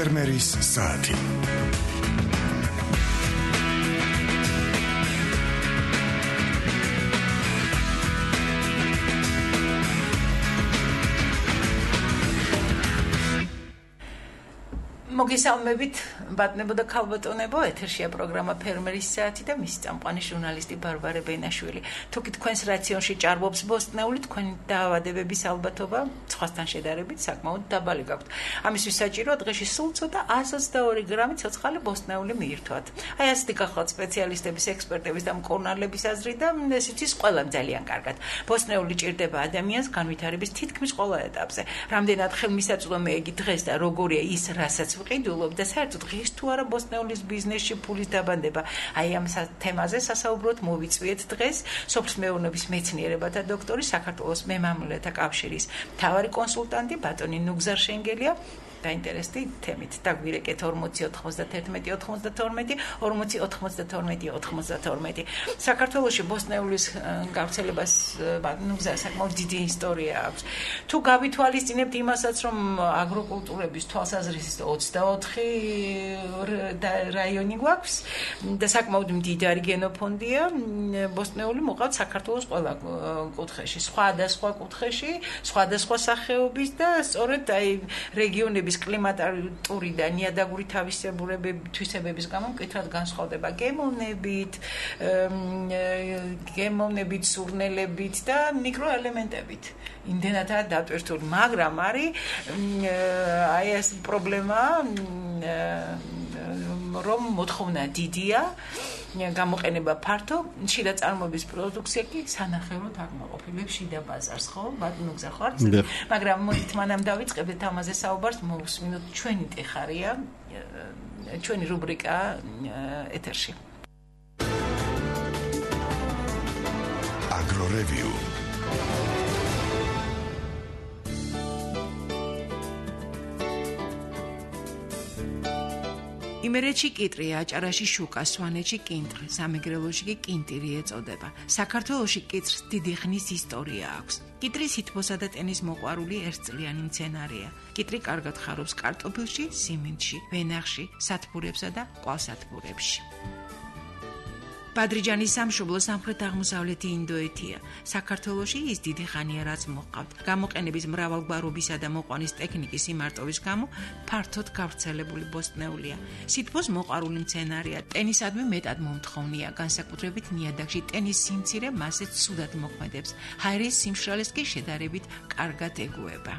ფერმერის საათი. მოგესალმებით, ბატონებო და ქალბატონებო, ეთერშია პროგრამა ფერმერის საათი და მისი წამყვანი ჟურნალისტი ბარბარე ბენაშვილი. თუკი თქვენს რაციონში ჭარბობს ბოსტნეული, თქვენი დაავადებების ალბათობა სხვასთან შედარებით საკმაოდ დაბალი გაქვთ. ამისთვის საჭიროა დღეში სულ ცოტა 122 გრამი ცოცხალი ბოსტნეული მიირთვათ. აი ასეთი გახლავთ სპეციალისტების, ექსპერტების და მკურნალების აზრი და ესეც ის ყველამ ძალიან კარგად. ბოსტნეული ჭირდება ადამიანს განვითარების თითქმის ყველა ეტაპზე. რამდენად ხელმისაწვდომია იგი დღეს და როგორია ის, რასაც ვყიდულობ და საერთოდ ღირს თუ არა ბოსტნეულის ბიზნესში ფულის დაბანდება. აი ამ თემაზე სასაუბროდ მოვიწვიეთ დღეს სოფლის მეურნეობის მეცნიერებათა დოქტორი, საქართველოს მემამულეთა კავშირის მთავარი კონსულტანტი ბატონი ნუგზარ შენგელია. დაინტერესდი თემით. დაგვირეკეთ 40-91-92. საქართველოში ბოსტნეულის გავრცელებას ნუგზარ საკმაოდ დიდი ისტორია აქვს. თუ გავითვალისწინებთ იმასაც, რომ აგროკულტურების თვალსაზრისით 24 რაიონი გვაქვს და საკმაოდ მდიდარი გენოფონდია, ბოსტნეული მოყავთ საქართველოს ყველა კუთხეში, სხვადასხვა კუთხეში, სხვადასხვა სახეობის და სწორედ აი რეგიონების კლიმატური და ნიადაგური თვისებების გამო მკითხად განსხვავდება გემოვნებით, სურნელებით და მიკროელემენტებით. იმდენადაა დატვირთული, მაგრამ არის აი ეს პრობლემა, რომ მოთხოვნა დიდია, გამოყენება ფართო, შიდა წარმოების პროდუქცია კი სანახევროდ აკმაყოფილებს შიდა ბაზარს, ხო? ბატონო გზა ხარ? მაგრამ მოდით მანამ დავიწყებთ ამაზე საუბარს, მოვუსმინოთ ჩვენი ტეხარია, ჩვენი რუბრიკა ეთერში. აგრორევიუ. იმერეთში კიტრი, აჭარაში შუკა, სვანეთში კინტრი, სამეგრელოში კი კინტირი ეწოდება. საქართველოში კიტრს დიდი ხნის ისტორია აქვს. კიტრი სითბოსა და ტენის მოყვარული ერთწლიანი მცენარეა. კიტრი კარგად ხარობს კარტოფილში, სიმინდში, ვენახში, სათბურებსა და ყვალსათბურებში. ბადრიჯანის სამშობლო სამხრეთ-აღმოსავლეთი ინდოეთია. საქართველოში ის დიდი ხანია რაც მოყავთ. გამოყენების მრავალგვარობისა და მოყვანის ტექნიკის იმარტოვის გამო ფართოდ გავრცელებული ბოსტნეულია. სითბოს მოყვარული მცენარეა, ტენისადმი მეტად მომთხოვნია, განსაკუთრებით ნიადაგში ტენის სიმცირე მასეც ცუდად მოქმედებს. ჰაერის სიმშრალეს კი შედარებით კარგად ეგუება.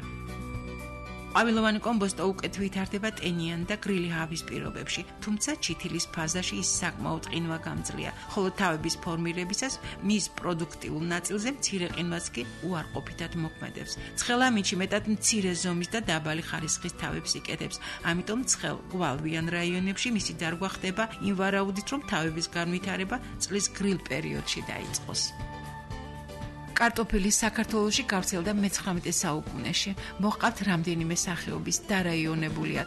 ყვავილოვანი კომბოსტო უკეთ ვითარდება ტენიან და გრილი ჰავის პირობებში, თუმცა ჩითილის ფაზაში ის საკმაოდ ყინვაგამძლეა, ხოლო თავების ფორმირებისას მის პროდუქტიულ ნაწილზე მცირე ყინვაც კი უარყოფითად მოქმედებს. ცხელ ამინდში მეტად მცირე ზომის და დაბალი ხარისხის თავებს იკეთებს, ამიტომ ცხელ გვალვიან რაიონებში მისი დარგვა ხდება იმ ვარაუდით, რომ თავების განვითარება წლის გრილ პერიოდში დაიწყოს. კარტოფილი საქართველოში გავრცელდა მე-19 საუკუნეში. მოჰყავთ რამდენიმე სახეობის დარაიონებულია.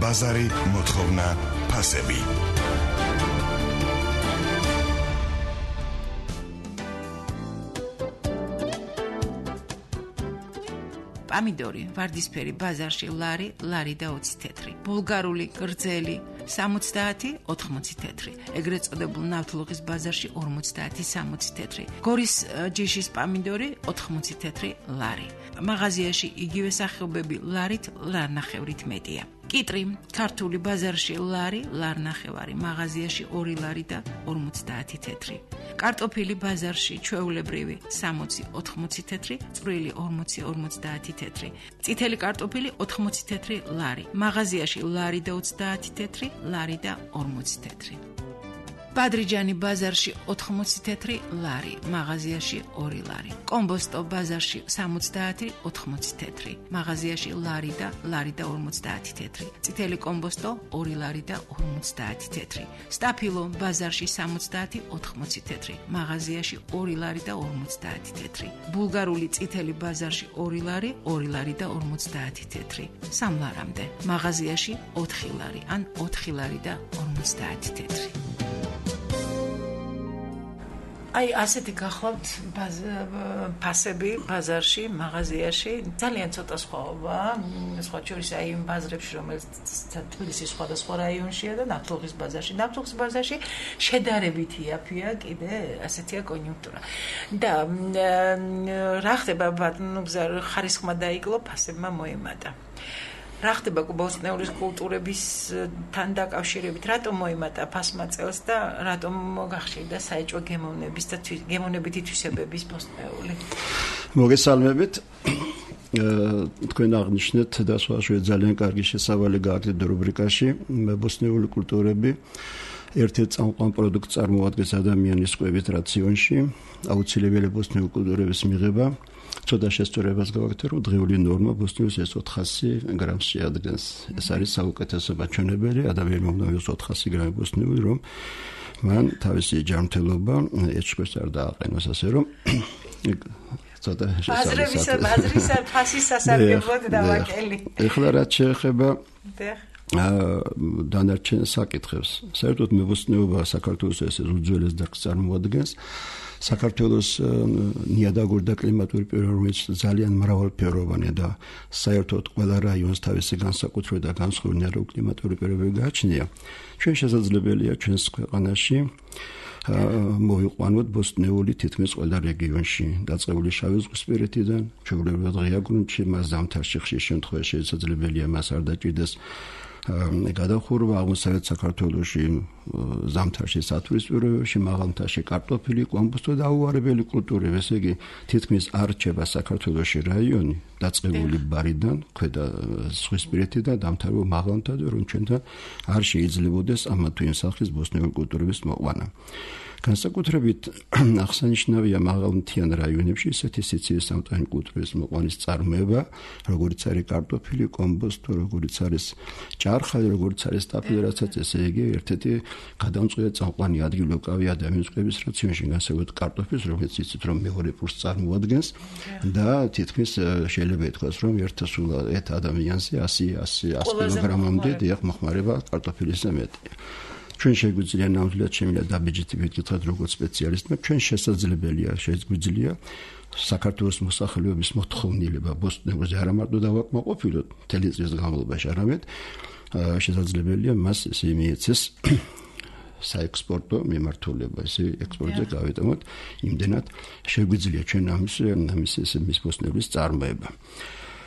ბაზარი, მოთხოვნა, ფასები. პამიდორი, ვარდისფერი, ბაზარში ლარი, ლარი და 20 თეთრი. ბულგარული, გრძელი, 70-80 თეთრი. ეგრეთ წოდებულ ნავთლუღის ბაზარში 50-60 თეთრი. გორის ჯიშის პამიდორი 80 თეთრი ლარი. მაღაზიაში იგივე სახეობები ლარით, ლარნახევრით მეტია. კიტრი, ქართული ბაზარში ლარი, ლარნახევარი, მაღაზიაში 2 ლარი და 50 თეთრი. კარტოფილი ბაზარში ჩვეულებრივი 60-80 თეთრი, წვრილი 40-50 თეთრი. წითელი კარტოფილი 80 თეთრი ლარი, მაღაზიაში ლარი და 30 თეთრი, ლარი და 40 თეთრი. ბადრიჯანი ბაზარში 80 თეთრი ლარი, მაღაზიაში 2 ლარი. კომბოსტო ბაზარში 70-80 თეთრი, მაღაზიაში ლარი და 50 თეთრი. წითელი კომბოსტო 2 ლარი და 50 თეთრი. სტაფილო ბაზარში 70-80 თეთრი, მაღაზიაში 2 ლარი და 50 თეთრი. ბულგარული წითელი ბაზარში 2 ლარი, 2 ლარი და 50 თეთრი. 3 ლარამდე. მაღაზიაში 4 ლარი, ან 4 ლარი და 50 თეთრი. აი ასეთი გახლავთ ფასები ბაზარში, მაღაზიაში, ძალიან ცოტა სხვაობა, სხვა შორის აი იმ ბაზრებში, რომელიც თბილისის სხვადასხვა რაიონშია და ნავთლუღის ბაზარში. ნავთლუღის ბაზარში შედარებით იაფია კიდე ასეთია კონიუნქტურა. და რა ხდება ბატონო გზა ხარისხმა დაიკლო, ფასებმა მოემატა. რა ხდება ბოსტნეულის კულტურებისთან დაკავშირებით, რატომ მოიმატა ფასმა წელს და რატომ გახშირდა საეჭვო გემოვნების და გემოვნებითი თვისებების ბოსტნეული? მოგესალმებით. თქვენ აღნიშნეთ და სხვადასხვა ძალიან კარგი შესავალი გააკეთეთ რუბრიკაში ბოსტნეული კულტურები. ერთ-ერთ წამყვან პროდუქტს წარმოადგენს ადამიანის კვებით რაციონში, აუცილებელი ბოსტნეული კულტურების მიღება. ცოტა შესწორებას გავაკეთე, რომ დღეული ნორმა ბოსტნეულს ეს 400 გრამს შეადგენს. ეს არის საუკეთესო მაჩვენებელი, ადამიანი მომდევნოს 400 გრამი ბოსტნეული, რომ მან თავისი ჯანმრთელობა ეჭვს არ დააყენოს, ასე რომ ცოტა შესწორება ბაზრის ფასის სასარგებლოდ დავაკელი. ეხლა რაც შეეხება დანარჩენ საკითხებს. საერთოდ მებოსტნეობა საქართველოს ეს უძველეს დარგს წარმოადგენს. საქართველოს ნიადაგური და კლიმატური პირობებით ძალიან მრავალფეროვანია და საერთოდ ყველა რაიონს თავისი განსაკუთრებული და განსხვავებული ნიადაგური კლიმატური პირობები გააჩნია. ჩვენ შესაძლებელია ჩვენს ქვეყანაში მოიყვანოთ ბოსტნეული თითქმის ყველა რეგიონში, დაწყებული შავი ზღვისპირეთიდან, ჩვეულებრივ ღია გრუნტში, მას ზამთარში ხშირ შემთხვევაში შესაძლებელია მას არ დაჭირდეს გადახურვა აღმოსავლეთ საქართველოში ზამთარში სათვრისპიროებში, მაღალმთაში კარტოფილი, კომბოსტო და აუარებელი კულტურები, ესე იგი თითქმის არ რჩება საქართველოში რაიონი დაწყებული ბარიდან, ქვედა ზღვისპირეთიდან დამთავრებულ მაღალმთად, რომ ჩვენთან არ შეიძლებოდეს ამა თუ იმ სახის ბოსტნეული კულტურების მოყვანა. განსაკუთრებით აღსანიშნავია მაღალმთიან რაიონებში ისეთი სიცივეს სამტანი კულტურების მოყვანის წარმოება, როგორც არის კარტოფილი, კომბოსტო, როგორც არის ჭარხალი, როგორც არის ტაფილი, რასაც ესე იგი ერთ-ერთი გადამწყვეტი წამყვანი ადგილი უკავია ადამიანის კვების რაციონში, განსაკუთრებით კარტოფილს, რომელიც იცით რომ მეორე პურს წარმოადგენს და თითქმის შეიძლება ითქვას რომ ერთ ადამიანზე 100 კილოგრამამდე დიახ მოხმარება კარტოფილისა მეტია. ჩვენ შეგვიძლია ნამდვილად შემიძლია დაბეჭდებით გითხრათ როგორც სპეციალისტმა, ჩვენ შეგვიძლია საქართველოს მოსახლეობის მოთხოვნილება ბოსტნეულზე არა მარტო დავაკმაყოფილოთ მთელი წლის განმავლობაში, არამედ შესაძლებელია მას ესე მიეცეს საექსპორტო მიმართულება, ესე ექსპორტზე გავიტანოთ, იმდენად შეგვიძლია ჩვენ ამის ბოსტნეულის წარმოება.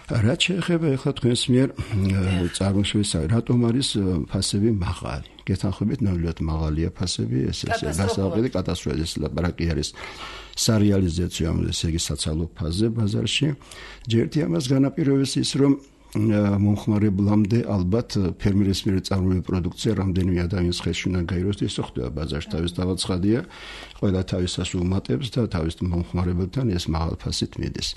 რაც შეეხება ახლა თქვენს მიერ წარმოშობის, რატომ არის ფასები მაღალი? გეთანხმებით, ნამდვილად მაღალია ფასები, ეს გასაუბრებელი კატასტროფა, ეს ლაპარაკი არის სარეალიზაციო, ესე იგი საცალო ფაზზე ბაზარში. ჯერტი ამას განაპირობებს ის, რომ მომხმარებლამდე ალბათ ფერმერის მიერ წარმოებული პროდუქცია რამდენიმე ადამიანის ხელში უნდა გაიროს, ისე ხდება ბაზარში თავის თავაცხადია, ყველა თავისას უმატებს და თავის მომხმარებელთან ეს მაღალ ფასით მიდის.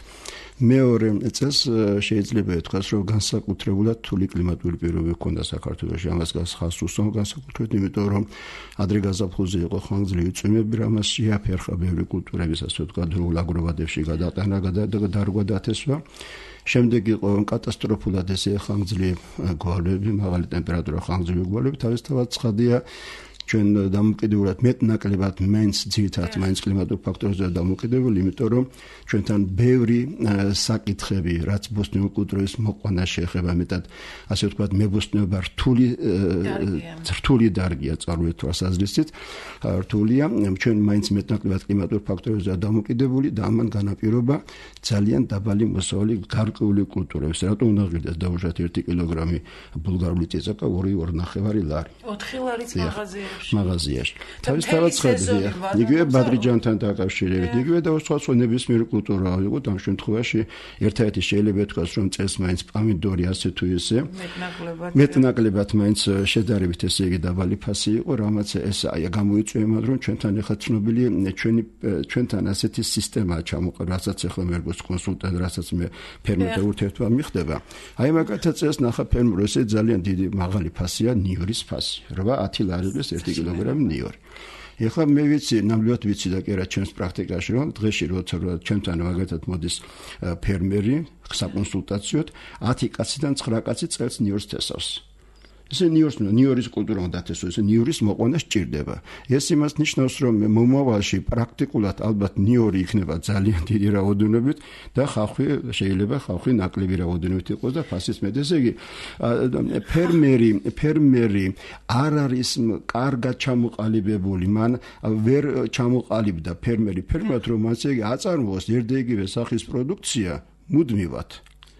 მეორე წელს შეიძლება ითქვას, რომ განსაკუთრებულად რთული კლიმატური პირობები ჰქონდა საქართველოში, ამას ხაზს უსვამ განსაკუთრებით, იმიტომ რომ ადრე გაზაფხულზე იყო ხანგრძლივი წვიმები, რამაც შეაფერხა ბევრი კულტურების, ასე ვთქვათ, დროულ აგროვადებში გადაყენა, დარგვა დათესვა. შემდეგ იყო კატასტროფულად ესე ხანგრძლივი გვალვები, მაღალი ტემპერატურა, ხანგრძლივი გვალვები, თავისთავად ცხადია ჩვენ დამოკიდებულად მეტნაკლებად მაინც ძირითადად მაინც კლიმატურ ფაქტორებზე დამოკიდებული, იმიტომ რომ ჩვენთან ბევრი საკითხები, რაც ბოსტნეული კულტურის მოყვანას შეეხება, მეტად ასე ვთქვათ, მებოსტნეობა რთული დარგია წარმოებით თვალსაზრისით, რთულია, ჩვენ მაინც მეტნაკლებად კლიმატურ ფაქტორებზე დამოკიდებული და ამან განაპირობა ძალიან დაბალი მოსავალი გარკვეული კულტურების. რატომ უნდა ღირდეს დაუშვათ 1 კილოგრამი ბულგარული წიწაკა 2.5 ლარი. 4 ლარიც მაღაზიაში. თავისთავად ცხადია. იგივე ბადრიჯანთან დაკავშირებით, იგივე და სხვა ნებისმიერი კულტურა იყო ამ შემთხვევაში ერთადერთი შეიძლება ითქვას, რომ წელს მაინც პომიდორი ასე თუ ისე მეტნაკლებად მაინც შედარებით ესე იგი დაბალი ფასი იყო, რამაც ეს გამოიწვია იმად, რომ ჩვენთან ახლა ცნობილი ჩვენთან ასეთი სისტემაა ჩამოყალიბებული, რასაც ახლა მე როგორც კონსულტანტ, რასაც მე ფერმერთან ურთიერთობა მიხდება. აი მაგათაც ეს ნახა ფერმერ ესე ძალიან დიდი მაღალი ფასია ნიორის ფასი. 8-10 ლარების 1 კილოგრამი ნიორი. ეხლა მე ვიცი, ნამდვილად ვიცი და კი რა ჩემს პრაქტიკაში, რომ დღეში როცა ჩემთან მაგათად მოდის ფერმერი საკონსულტაციოდ, 10 კაციდან 9 კაცი წელს ნიორს თესავს. ესე ნიორის კულტურა უნდა დათესოს, ესე ნიორის მოყვანა სჭირდება. ეს იმას ნიშნავს, რომ მომავალში პრაქტიკულად ალბათ ნიორი იქნება ძალიან დიდი რაოდენობით და შეიძლება ხალხი ნაკლები რაოდენობით იყოს და ფასიც მეტი. ესე იგი, ფერმერი არ არის კარგად ჩამოყალიბებული, მან ვერ ჩამოყალიბდა ფერმერად რომ ასე აწარმოოს ერთდაიგივე სახის პროდუქცია მუდმივად.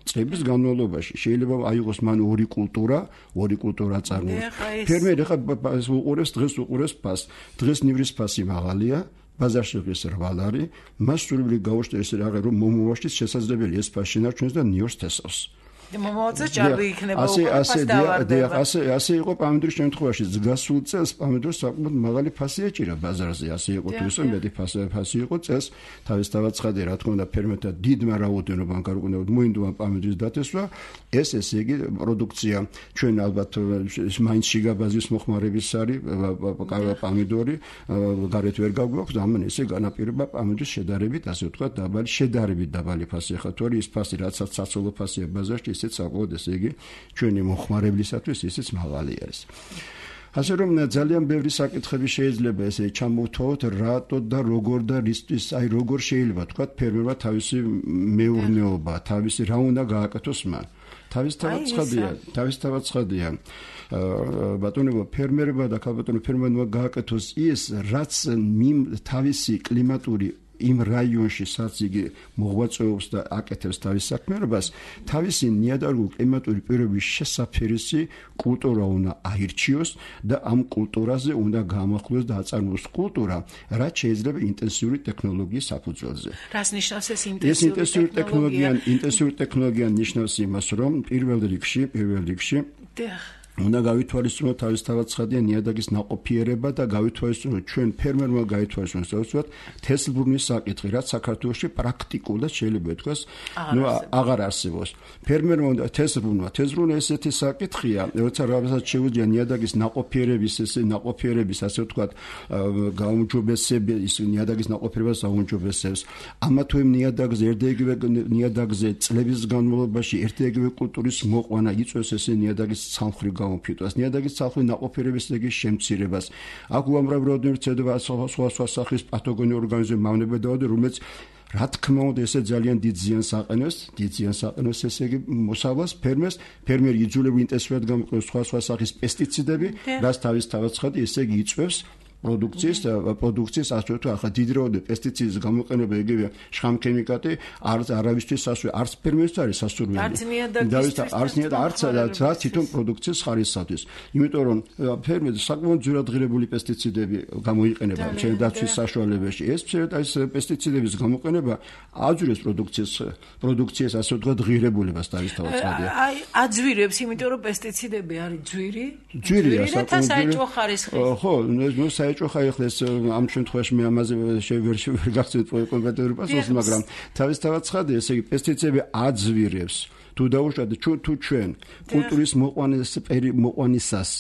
წლების განმავლობაში შეიძლება აიღოს მან ორი კულტურა აწარმოოს. ფერმერი დღეს უყურებს ფასს. დღეს ნივრის ფასი მაღალია, ბაზარში ეს 8 არის, მას სრულიად გაუშვეს ეს რაღაც რომ მომავალში შესაძლებელია ეს ფასი შენარჩუნოს და ნიორს თესავს. მომავალზე ჭარბი იქნება ასე იყო პამიდორის შემთხვევაში გასულ წელს პამიდორს საკმაოდ მაღალი ფასი ეჭირა ბაზარზე ასე იყო თუ ისე მეტი ფასი იყო წელს თავის დავაცხადე რა თქმა უნდა ფერმერთა დიდმა რაოდენობამ გარკვეულად მოინდომა პამიდორის დათესვა ესე იგი პროდუქცია ჩვენ ალბათ მაინც შიგაბაზის მოხმარების არის პამიდორი გარეთ ვერ გაგვაქვს ამან ესე განაპირობა პამიდორის შედარებით ასე ვთქვათ დაბალი ფასი ხა თუ ის ფასი რაცაც საცოლო ფასია ბაზარში ისეც საკმაოდ ესე იგი ჩვენი მოხმარებლისათვის ისეც მაღალი არის. ასე რომ ძალიან ბევრი საკითხები შეიძლება ესე ჩამოვთვალოთ რატო და როგორ და რისთვის აი როგორ შეიძლება თქვა ფერმერმა თავისი მეურნეობა თავისი რა უნდა გააკეთოს მან თავისთავად ცხადია ბატონებო ფერმერმა და ქალბატონო ფერმერმა გააკეთოს ის რაც თავისი კლიმატური იმ რაიონში სადაც იგი მოღვაწეობს და აკეთებს თავის საქმიანობას, თავისი ნიადაგური კლიმატური პირობების შესაფერისი კულტურა უნდა აირჩიოს და ამ კულტურაზე უნდა გაამახვილოს და აწარმოოს კულტურა, რაც შეიძლება ინტენსიური ტექნოლოგიის საფუძველზე. რას ნიშნავს ეს ინტენსიური ტექნოლოგია? ინტენსიური ტექნოლოგია ნიშნავს იმას, რომ პირველ რიგში უნდა გავითვალისწინოთ თავისთავად ცხადია ნიადაგის ნაყოფიერება და გავითვალისწინოთ ჩვენ ფერმერმა გაითვალისწინოთ უბრალოდ თესლბრუნის საკითხი, რაც საქართველოში პრაქტიკულად შეიძლება ითქვას, აღარ არსებობს. ფერმერმა უნდა თესლბრუნა ესეთი საკითხია, როცა რაღაცა შეუძლია ნიადაგის ნაყოფიერების ასე ვთქვათ გაუმჯობესება, ის ნიადაგის ნაყოფიერებას აუმჯობესებს. ამა თუ იმ ნიადაგზე წლების განმავლობაში ერთიეგივე კულტურის მოყვანა იწვევს ესე ნიადაგის ცალმხრივ გამოფიტვას, ნიადაგის ცალმხრივ ნაყოფიერების შემცირებას. აქ უამრავი რაოდენობით ცდება სხვა სახის პათოგენური ორგანიზმები მავნებადაობები, რომელიც რა თქმა უნდა ესე ძალიან დიდ ზიანს აყენებს ესე იგი მოსავალს ფერმერი იძულებული ინტენსიურად გამოიყენოს სხვა სახის პესტიციდები, რაც თავისთავად ცხადი ესე იგი იწვევს პროდუქციის ასე თუ ახლა დიდი რაოდენობით პესტიციდის გამოყენება იგივე შხამქემიკატი არავისთვის არც ფერმერს არის სასურველი არც თვითონ პროდუქციის ხარისხისთვის იმიტომ რომ ფერმერი საკმაოდ ძვირად ღირებული პესტიციდები გამოიყენება მცენარე დაცვის საშუალებაში ეს პესტიციდების გამოყენება აძვირებს პროდუქციის ასე ვთქვათ ღირებულებას თავისთავად ცხადია აი აძვირებს იმიტომ რომ პესტიციდები არის ძვირია საკმაოდ საეჭვო ხარისხი ხო ხაიხლა ეს ამ შემთხვევაში მე ამაზე ვერ გახსენებ კომპეტენტური პასუხი, მაგრამ თავისთავად ცხადია, ესე იგი პესტიციდები აძვირებს თუ დაუშვათ თუ ჩვენ კულტურის მოყვანისას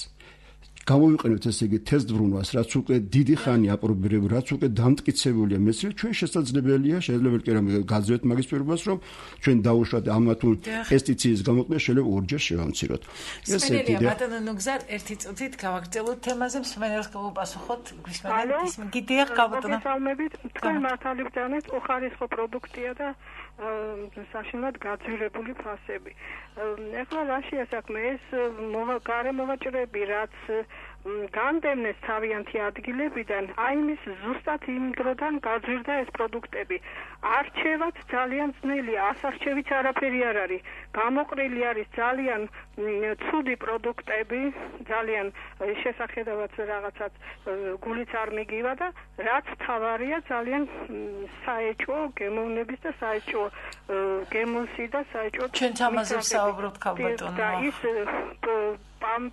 გამოვიყენებთ ესე იგი თესლბრუნვას, რაც უკვე დიდი ხანი აპრობირებული, რაც უკვე დამტკიცებულია მეცნიერულად, ჩვენ შესაძლებელია კი რომ გაძლევთ მაგის პირობას, რომ ჩვენ დაუშვათ ამა თუ პესტიციდის გამოყენება შეიძლება ორჯერ შევამციროთ. ეს დიდი ბატონო ნუგზარ ერთი წუთით გავაგრძელოთ თემაზე, მსმენელს გავუპასუხოთ, გვისმენთ გიდიახ გაბატონო. თქვენ მართალი ბრძანეთ უხარისხო პროდუქტია და საშინლად გაძვირებული ფასები. ეხლა რაშია საქმე ეს გარემოვაჭრები რაც განდევნეს თავიანთი ადგილებიდან აი მის ზუსტად იმ დროდან გაძვირდა ეს პროდუქტები. არჩევაც ძალიან ძნელია, ასარჩევიც არაფერი არ არის. გამოყრილი არის ძალიან ცუდი პროდუქტები, ძალიან შესახედავად რაღაცაც გულიც არ მიგივა და რაც თავარია ძალიან საეჭვო გემოვნების და საეჭვო გემოსი და საეჭვო ჩვენ ამაზე ვსაუბრობთ ქალბატონო. და ის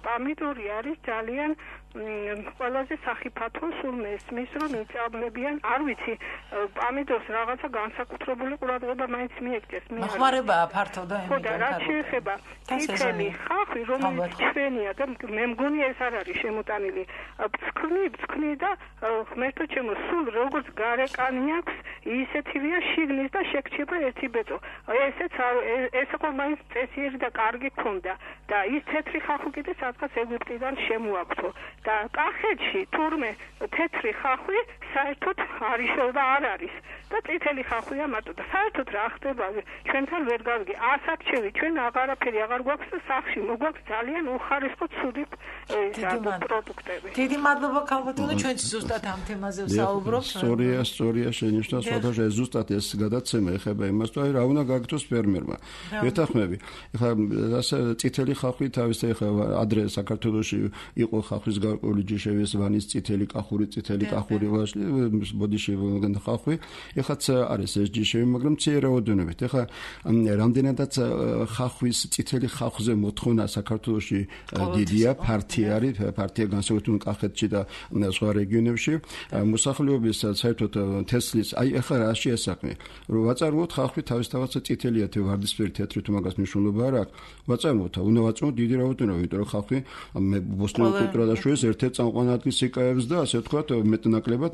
პამიდორი არის ძალიან ყველაზე სახიფათო სულ მესმის რომ იწამლებიან არ ვიცი პამიდორს რაღაცა განსაკუთრებული ყურადღება მაინც მიეკდეს მოხმარებაა ფართო და ხო და რაც შეეხება თითელი ხახვი რომელიც ჩვენია და მე მგონი ეს არ არის შემოტანილი ფსკნი და ღმერთო ჩემო სულ როგორც გარეკანი აქვს ისეთივეა შიგნის და შეგჩება ერთი ბეწო ესეც ეს უკვე მაინც წესიერი და კარგი ქონდა და ის თეთრი ხახვი კიდე სადღაც ეგვიპტიდან შემოაქვთო და კახეთში თურმე თეთრი ხახვი საერთოდ არის და არ არის და წითელი ხახვია მარტო და საერთოდ რა ხდება ჩვენთან ვერ გავიგე ასაკჩევი ჩვენ აღარაფერი აღარ გვაქვს და სახში მოგვაქვს ძალიან უხარისხო ცუდი პროდუქტები დიდი მადლობა ქალბატონო ჩვენც ზუსტად ამ თემაზე ვსაუბრობთ სწორია შენიშნა სხვადასხვა ზუსტად ეს გადაცემა ეხება იმას თუ რა უნდა გაგთოს ფერმერმა მეთანხმები ეხლა ასე წითელი ხახვი თავის ეხლა ადრე საქართველოში იყო ხახვის გარკვეული ჯიშევის ვანის წითელი კახური ბოდიში ხახვი ეხლაც არის ეს ჯიშევი მაგრამ მცირე რაოდენობით ეხლა რამდენადაც ხახვის წითელი ხახვზე მოთხოვნა საქართველოში დიდია ფართია განსაკუთრებით კახეთში და სხვა რეგიონებში მოსახლეობის საერთოდ თესლის აი ეხლა რაში ესაქმე რომ ვაწარმოოთ ხახვი თავისთავად წითელია თუ ვარდისფერი თეთრი თუ მაგას მნიშვნელობა არ აქვს ვაწარმოოთ უნდა ვაწარმოოთ დიდი რაოდენობით იმიტომ რომ ხახვი ბოსტნეულ კულტურაში ერთ-ერთ წამყვან ადგილს იკავებს და ასე ვთქვათ მეტნაკლებად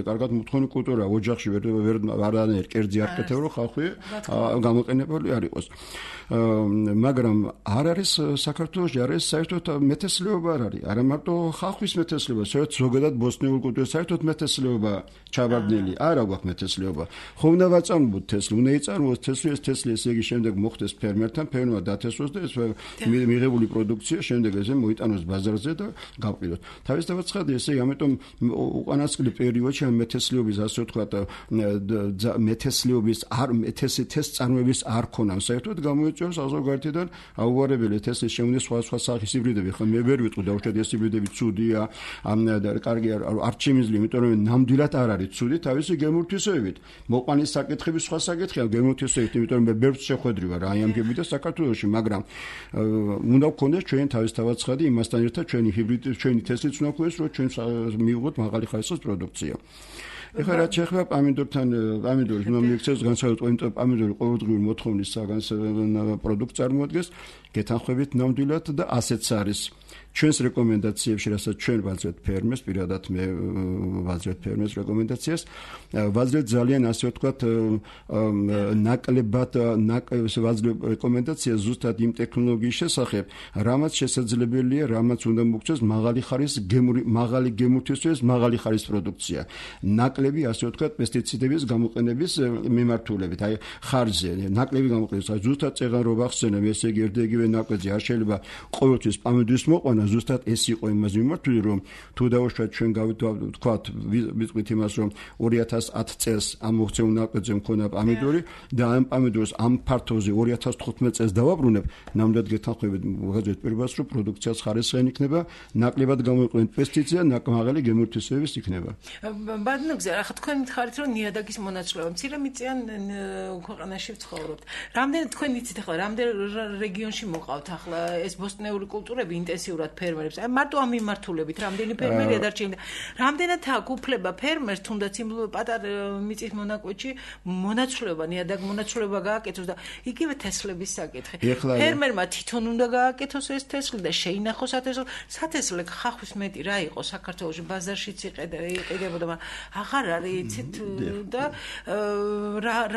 კარგად მოთხოვნი კულტურა ოჯახში ვარანაირ კერძი არ კეთებ რომ ხახვი გამოყენებული არ იყოს მაგრამ არ არის საქართველოში არის საერთოდ მეთესლეობა არ არის არა მარტო ხახვის მეთესლეობა საერთოდ ზოგადად ბოსტნეულ კულტურაში საერთოდ მეთესლეობა ჩაბარდნილი არა გვაქვს მეთესლეობა ხო უნდა ვაწარმოოთ თესლი უნდა იწარმოოს თესლი ესე იგი შემდეგ მოხდეს ფერმერთან ფერმერმა დათესვოს და ეს მიღებული პროდუქცია შემდეგ ესე მოიტანოს ბაზარზე და გავყიდოთ თავისთავად ცხადია ესე ამიტომ უკანასკნელ პერიოდში ამ მეთესლეობის ასე ვთქვათ მეთესლეობის არ თესლის წარმოების არ ქონა საერთოდ გამოიწვევს საზოგადოებიდან აუღარებელი თესლის შემოდის სხვა სახის ჰიბრიდები ხო მე ვერ ვიტყვი დავუშვათ ეს ჰიბრიდები ცუდია კარგი არ შემიძლია იმიტომ რომ ნამდვილად არ არის ცუდი თავისი გემურთვისებით მოყვანის საკითხები სხვა საკითხია გემურთვისებით იმიტომ რომ მე ბევრს შეხვედრი ვარ აი ამ ჰიბრიდებს საქართველოში მაგრამ უნდა გქონდეს ჩვენ თავისთავად ცხადი იმასთან ერთად ჩვენი ჰიბრიდი ჩვენი თესლიც უნდა გქონდეს რომ ჩვენ მივიღოთ მაღალი ხარისხის პროდუქცია ეხლა რაც შეეხება პამიდორის უნდა მიიქცეს განსაკუთრებით პამიდორი ყოველდღიური მოთხოვნის პროდუქტს წარმოადგენს გეთანხმებით ნამდვილად და ასეც არის ჩვენს რეკომენდაციებში რასაც ჩვენ ვაძლევთ ფერმერს პირადად მე ვაძლევთ ფერმერს რეკომენდაციას ვაძლევთ ძალიან ასე ვთქვათ ნაკლებად ვაძლევთ რეკომენდაციას ზუსტად იმ ტექნოლოგიის შესახებ რამაც შესაძლებელია რამაც უნდა მოგწეს მაღალი გემურთვისას მაღალი ხარის პროდუქცია ნაკლები ასე ვთქვათ პესტიციდების გამოყენების მიმართულებით აი ხარზე ნაკლები გამოყენების ზუსტად წეღანრობა ხსენებ ესე იგი ერთიგივე ნაკლები არ შეიძლება ყოველთვის პამიდორის მოყვანა ზუსტად ეს იყო იმას მიმართული რომ თუ დავუშვათ ჩვენ გავთქვათ ვიტყვით იმას რომ 2010 წელს ამ მოქცეულ ნაკლებზე მქონდა პამიდორი და ამ პამიდორს ამ ფართოზე 2015 წელს დავაბრუნებ ნამდვილად გეთანხმებით მოხდეთ პირველს რომ პროდუქციას ხარისხიანი იქნება ნაკლებად გამოიყენეთ პესტიციდები მაღალი გემურთვისების იქნება ბადნოგზე ახლა თქვენ მითხარით რომ ნიადაგის მონაცვლეობა მცირე მიწიან ქვეყანაში ვცხოვრობთ რამდენი თქვენ იცით ახლა რამდენი რეგიონში მოყავთ ახლა ეს ბოსტნეული კულტურები ინტენსიურად ფერმერებს აი მარტო ამ მიმართულებით რამდენი ფერმერია დარჩენილი რამდენად აქვს უფლება ფერმერს თუნდაც იმ პატარა მიწის მონაკვეთში მონაცვლეობა ნიადაგ მონაცვლეობა გააკეთოს და იგივე თესლების საკითხი ფერმერმა თვითონ უნდა გააკეთოს ეს თესლი და შეინახოს სათესლე ხახვის მეტი რა იყო საქართველოში ბაზარშიც იყიდებოდა აღარ არის იცით და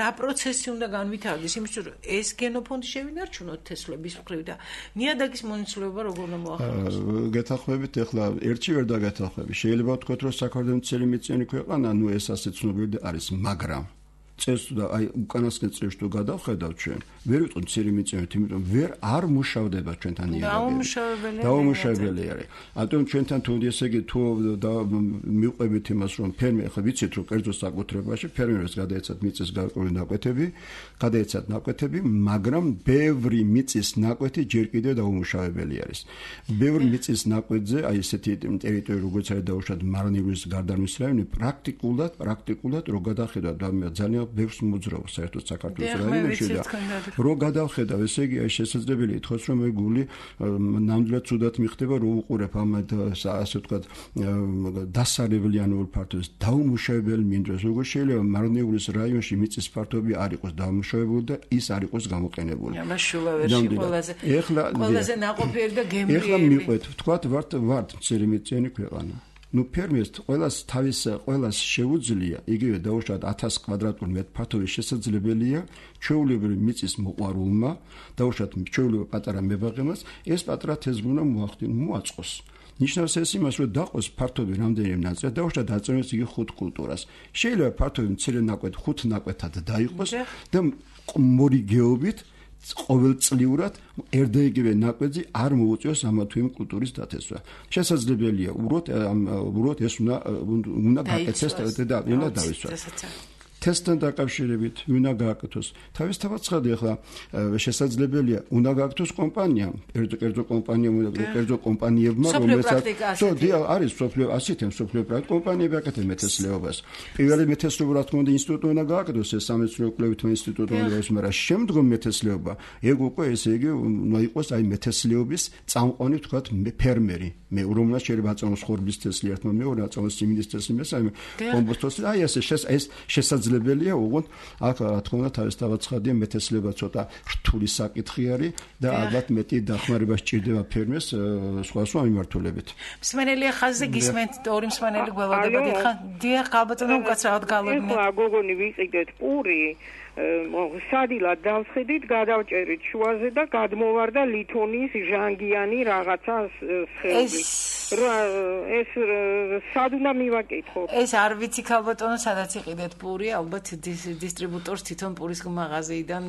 რა პროცესი უნდა განვითარდეს იმისთვის რომ ეს გენოფონდი შევინარჩუნოთ თესლების მხრივ და ნიადაგის მონაცვლეობა როგორ უნდა მოახერხოს გეთანხმებით ეხლა ერთში ვერ დაგეთანხმები შეიძლება ვთქვათ რომ საქართველოს მცირე მიწიანი ქვეყანა ნუ ეს ასე ცნობილი არის მაგრამ წელს და აი უკანასკნელ წლებში თუ გადავხედავთ ჩვენ ვერ ვიტყვი მცირე მიწიანით იმიტომ ვერ არ მუშავდება ჩვენთან ნიადაგები დაუმუშავებელი არის ამიტომ ჩვენთან თუ ესე იგი თუ მივყვებით იმას რომ ფერმერი ხო ვიცით რომ კერძო საკუთრებაში ფერმერებს გადაეცათ მიწის გარკვეული ნაკვეთები მაგრამ ბევრი მიწის ნაკვეთი ჯერ კიდევ დაუმუშავებელი არის ბევრი მიწის ნაკვეთზე აი ესეთი ტერიტორია როგორც არის დაუშვათ მარნიურის გარდამის რაიონი პრაქტიკულად რო გადახედავთ ძალიან ბევრს მოძრაობს საერთოდ საქართველოს რაიონებში და რო გადავხედავ, ესე იგი შესაძლებელია ითქვას, რომ მე გული ნამდვილად ცუდად მიხდება, რო უყურებ ამ ასე ვთქვათ დასარევლიანურ ფართობს დაუმუშავებელი მინდვრას, როგორ შეიძლება მარნეულის რაიონში მიწის ფართობი არ იყოს დაუმუშავებელი და ის არ იყოს გამოყენებული. შულავერში ყველაზე ნაყოფიერი და გემრიელი. ეხლა მიყვეთ, ვთქვათ, ვართ მცირემიწიანი ქვეყანა. ფერმერს ყველას შეუძლია იგივე დაუშვათ 1000 კვადრატული მეტრი ფართობის შესაძლებელია ჩვეულებრივი მიწის მოყვარულმა დაუშვათ ჩვეულებრივ პატარა მებაღემას ეს პატარა თეზგუნა მოაწყოს. ნიშნავს ეს იმას, რომ დაყოს ფართობი რამდენიმე ნაწილი, დაუშვათ დაწევს იგი 5 კულტურას. შეიძლება ფართობი მცირე ნაკვეთ 5 ნაკვეთად დაიყოს და მორიგეობით ყოველწლიურად ერთდაიგივე ნაკვეთი არ მოუწევს ამა თუ იმ კულტურის დათესვა. შესაძლებელია უბრალოდ ეს უნდა გაკეთდეს და უნდა დავისვათ. თესტთან დაკავშირებით უნდა გააკეთოს. თავისთავად ცხადია, ახლა შესაძლებელია უნდა გააკეთოს კომპანიამ, კერძო კომპანიებმა, რომელსაც არის სოფლიო პრაქტიკა კომპანიები აკეთებენ მეთესლეობას. პირველი მეთესლეობა რა თქმა უნდა ინსტიტუტი უნდა გააკეთოს, ეს სამეცნიერო კვლევითი ინსტიტუტი უნდა იყოს, მაგრამ შემდგომ მეთესლეობა, ეგ უკვე ესე იგი უნდა იყოს აი მეთესლეობის წამყვანი ვთქვათ ფერმერი. მე რომელსაც შეიძლება აწარმოოს ხორბლის თესლი ერთმა მეორე აწარმოოს სიმინდის თესლი მესამე კომპოსტოს აი ეს შესაძლებელია უგონ აქ რა თქმა უნდა თავისთავად ცხადია მეთესლეობა ცოტა რთული საკითხი არის და ალბათ მეტი დახმარება სჭირდება ფერმერს სხვადასხვა მიმართულებით. მსმენელია ხაზზე გისმენთ ორი მსმენელი გველოდება დითხა დიახ ხალბატონო უკაცრავად გალობნე. ეხლა გოგონი ვიყიდეთ პური სადილად დავსხედით, გადავჭერით შუაზე და გადმოვარდა ლითონის ჟანგიანი რაღაცა სხეული. ეს სად უნდა მივაკითხო? ეს არ ვიცი ხალბატონო, სადაც იყიდეთ პური, ალბათ დისტრიბუტორს თვითონ პურის მაღაზიიდან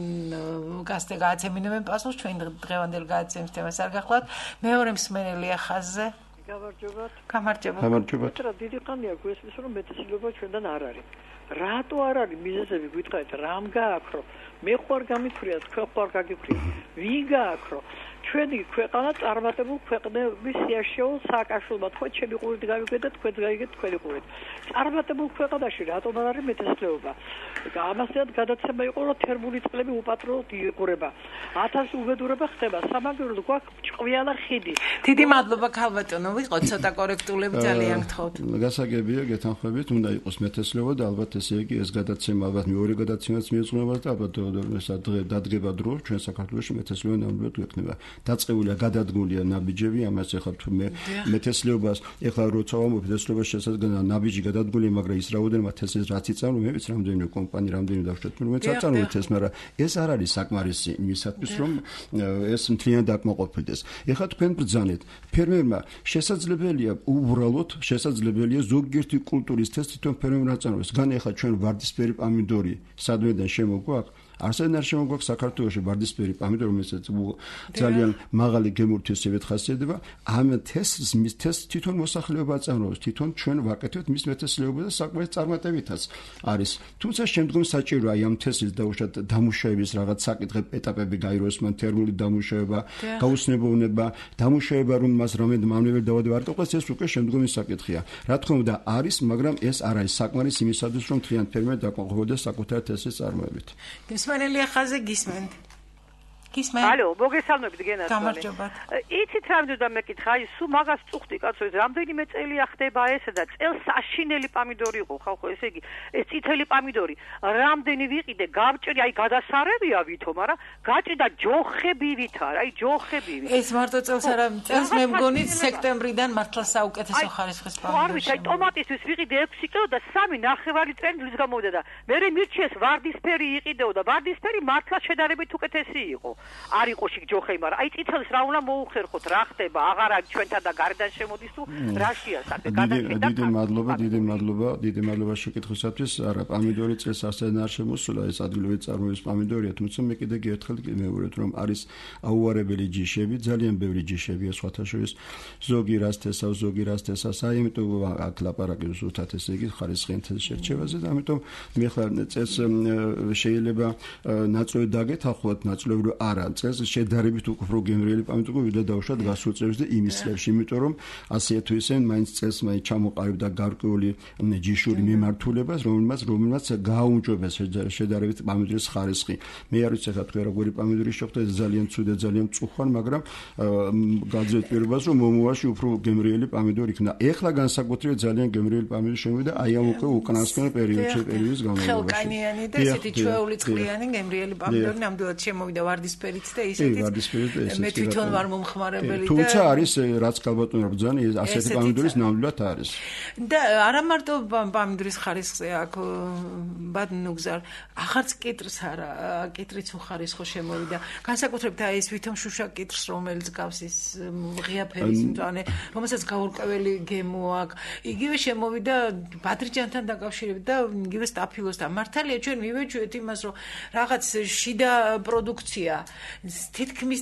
გააცემინებენ პასუხს, ჩვენ დღევანდელ გადაცემის თემას არ გახლავთ. მეორე მსმენელია ხაზზე. გამარჯობა. დიდი ხანია გვესმის რომ მეთესლეობა ჩვენთან არ არის. რატო არ არის მიზეზები გითხარით რამ გააქრო მე ხوار გამიფრიათ თქვენ ხوار გაგიფრიათ ვინ გააქრო ჩვენი ქვეყანა წარმატებულ ქვეყნების სიაშეულ სააკაშვილმა თქვენ ჩემი ყურით გავიგეთ თქვენ გაიგეთ თქვენი ყურით წარმატებულ ქვეყანაში რატომ არ არის მეთესლეობა ამასთან გადაცემა იყო რომ თერმული წყლები უპატრონოდ იყურება 1000 უბედურება ხდება სამაგიეროდ გვაქვს ჭყვიანა ხიდი დიდი მადლობა ხალბატონო ვიყოთ ცოტა კორექტულები ძალიან გთხოვთ გასაგებია გეთანხმებით უნდა იყოს მეთესლეობა და ალბათ ესე იგი ეს გადაცემა ალბათ მეორე გადაცემაც მიეძღვნება და ალბათ დადგება დრო ჩვენ საქართველოში მეთესლეობა ნამდვილად გვექნება დაწყებულია გადადგმულია ნაბიჯები ამას ეხლა თუ მე მეთესლეობას ეხლა როცა მეთესლეობას შესაძლოა ნაბიჯი გადადგმულია მაგრამ ის რაოდენობა თესლს რაც იწამო მე ვიცი რამდენი კომპანია რამდენი დავშვათ რომელიც აწარმოებს ეს მაგრამ ეს არ არის საკმარისი იმისათვის რომ ეს მთლიანად აკმაყოფილდეს ეხლა თქვენ ბრძანეთ ფერმერმა შესაძლებელია უბრალოდ შესაძლებელია ზოგიერთი კულტურის თესლი თვითონ ფერმერმა აწარმოოს გან ეხლა ჩვენ ვარდისფერი პამიდორი სადმედან შემოგვაქვს არსენ არ შემოგვაქვს საქართველოში ვარდისფერი პამიდორი რომელსაც ძალიან მაღალი გემურთესებით ხასიათდება ამ თესლს მის თესლს თვითონ მოსახლეობა აწარმოებს თვითონ ჩვენ ვაკეთებთ მის მეთესლეობა და საკმაოდ წარმატებითაც არის თუმცა შემდგომ საჭიროა აი ამ თესლის დაუშვათ დამუშავების რაღაც საკითხი ეტაპები გაიროს მან თერმული დამუშავება გაუცნობოვნება დამუშავება რომ მას რამდენი მავნებელი დავადება არ ტყოს ეს უკვე შემდგომი საკითხია რა თქმა უნდა არის მაგრამ ეს არ არის საკმარის იმისათვის რომ თლიან ფერმერი დაკმაყოფილდეს საკუთარ თესლის წარმოებით მსმენელია ხაზზე გისმენთ ალო, მოგესალმებით გენათლი. გამარჯობა. იცით რა მინდოდა მეკითხა, აი სულ მაგას წუხდი კაცო, ეს რამდენიმე წელია ხდება ესა და წელს საშინელი პამიდორი იყო, ხალხო, ესე იგი, ეს წითელი პამიდორი, რამდენი ვიყიდე, გავჭრი, აი გადასარევია ვითო, მაგრამ გაჭრიდა ჯოხებივით არა, აი ჯოხებივით. ეს მარტო წელს არა, წელს მე მგონი სექტემბრიდან მართლა საუკეთესო ხარისხის პამიდორი. არ ვიცი, აი ტომატისთვის ვიყიდე 6 კილო და 3.5 წელი ლის გამოვიდა და მე მირჩიეს ვარდისფერი იყიდეო და ვარდისფერი მართლა შედარებით უკეთესი იყო. არ იყო შიგ ჯოხები, მაგრამ აი წითელს რა უნდა მოუხერხოთ, რა ხდება, აღარ არის ჩვენთან და გარედან შემოდის თუ რაშია საკითხი გადაშენდა. დიდი მადლობა შეკითხვისათვის. არა, პამიდორი წელს ასენა არ შემოსულა, ეს ადგილობრივი წარმოების პამიდორია, თუმცა მე კიდე გერთხელ მივუყურეთ, რომ არის აუარებელი ჯიშები, ძალიან ბევრი ჯიშებია სხვათა შორის, ზოგი რას თესავს, ზოგი რას თესავს, აი იმიტომ აქ ლაპარაკი ზუსტად ესე იგი ხარისხიან თესლს შერჩევაზე და ამიტომ მე ხარ წელს შეიძლება ნაწილობრივ დაგეთანხმოთ, ნაწილობრივ არ არა, წელს შედარებით უფრო გემრიელი პამიდი იყო, ვიდრე დავუშვათ გასულ წელს და იმის წლებში, იმიტომ რომ ასე თუ ისე მაინც წელს ჩამოყალიბდა გარკვეული ჯიშური მიმართულებას, რომელმაც გააუმჯობესა შედარებით პამიდრის ხარისხი. მე არ ვიცი ხა თქვენ როგორი პამიდური შეხვდა, ეს ძალიან ცუდი, ძალიან მწუხვარი, მაგრამ გაძლევთ პირობას, რომ მომავალში უფრო გემრიელი პამიდორი იქნება. ეხლა განსაკუთრებით ძალიან გემრიელი პამიდორი შემოვიდა აი ამ უკანასკნელ პერიოდის განმავლობაში. ხელკანიანი და ესეთი ჩვეული წყლიანი გემრიელი პამიდორი ნამდვილად შემოვიდა ვარდისფერით და ისეთი მე თვითონ ვარ მომხმარებელი და თუმცა არის რაც გალბატონობა ბრძანი ასეთი პამიდორის ნამდვილად არის. და არა მარტო პამიდორის ხარისხზე აქ ბადნუგზარ ახარც კიტრს არა კიტრიც უხარისხო შემოვიდა განსაკუთრებით აი ეს ვითომ შუშა კიტრს რომელიც გავს ის ღია ფერის მწვანე რომელსაც გაურკვეველი გემო აქვს იგივე შემოვიდა ბადრიჯანთან დაკავშირებით და იგივე სტაფილოსთან მართალია ჩვენ მივეჩვევთ იმას რომ რაღაც შიდა პროდუქცია თითქმის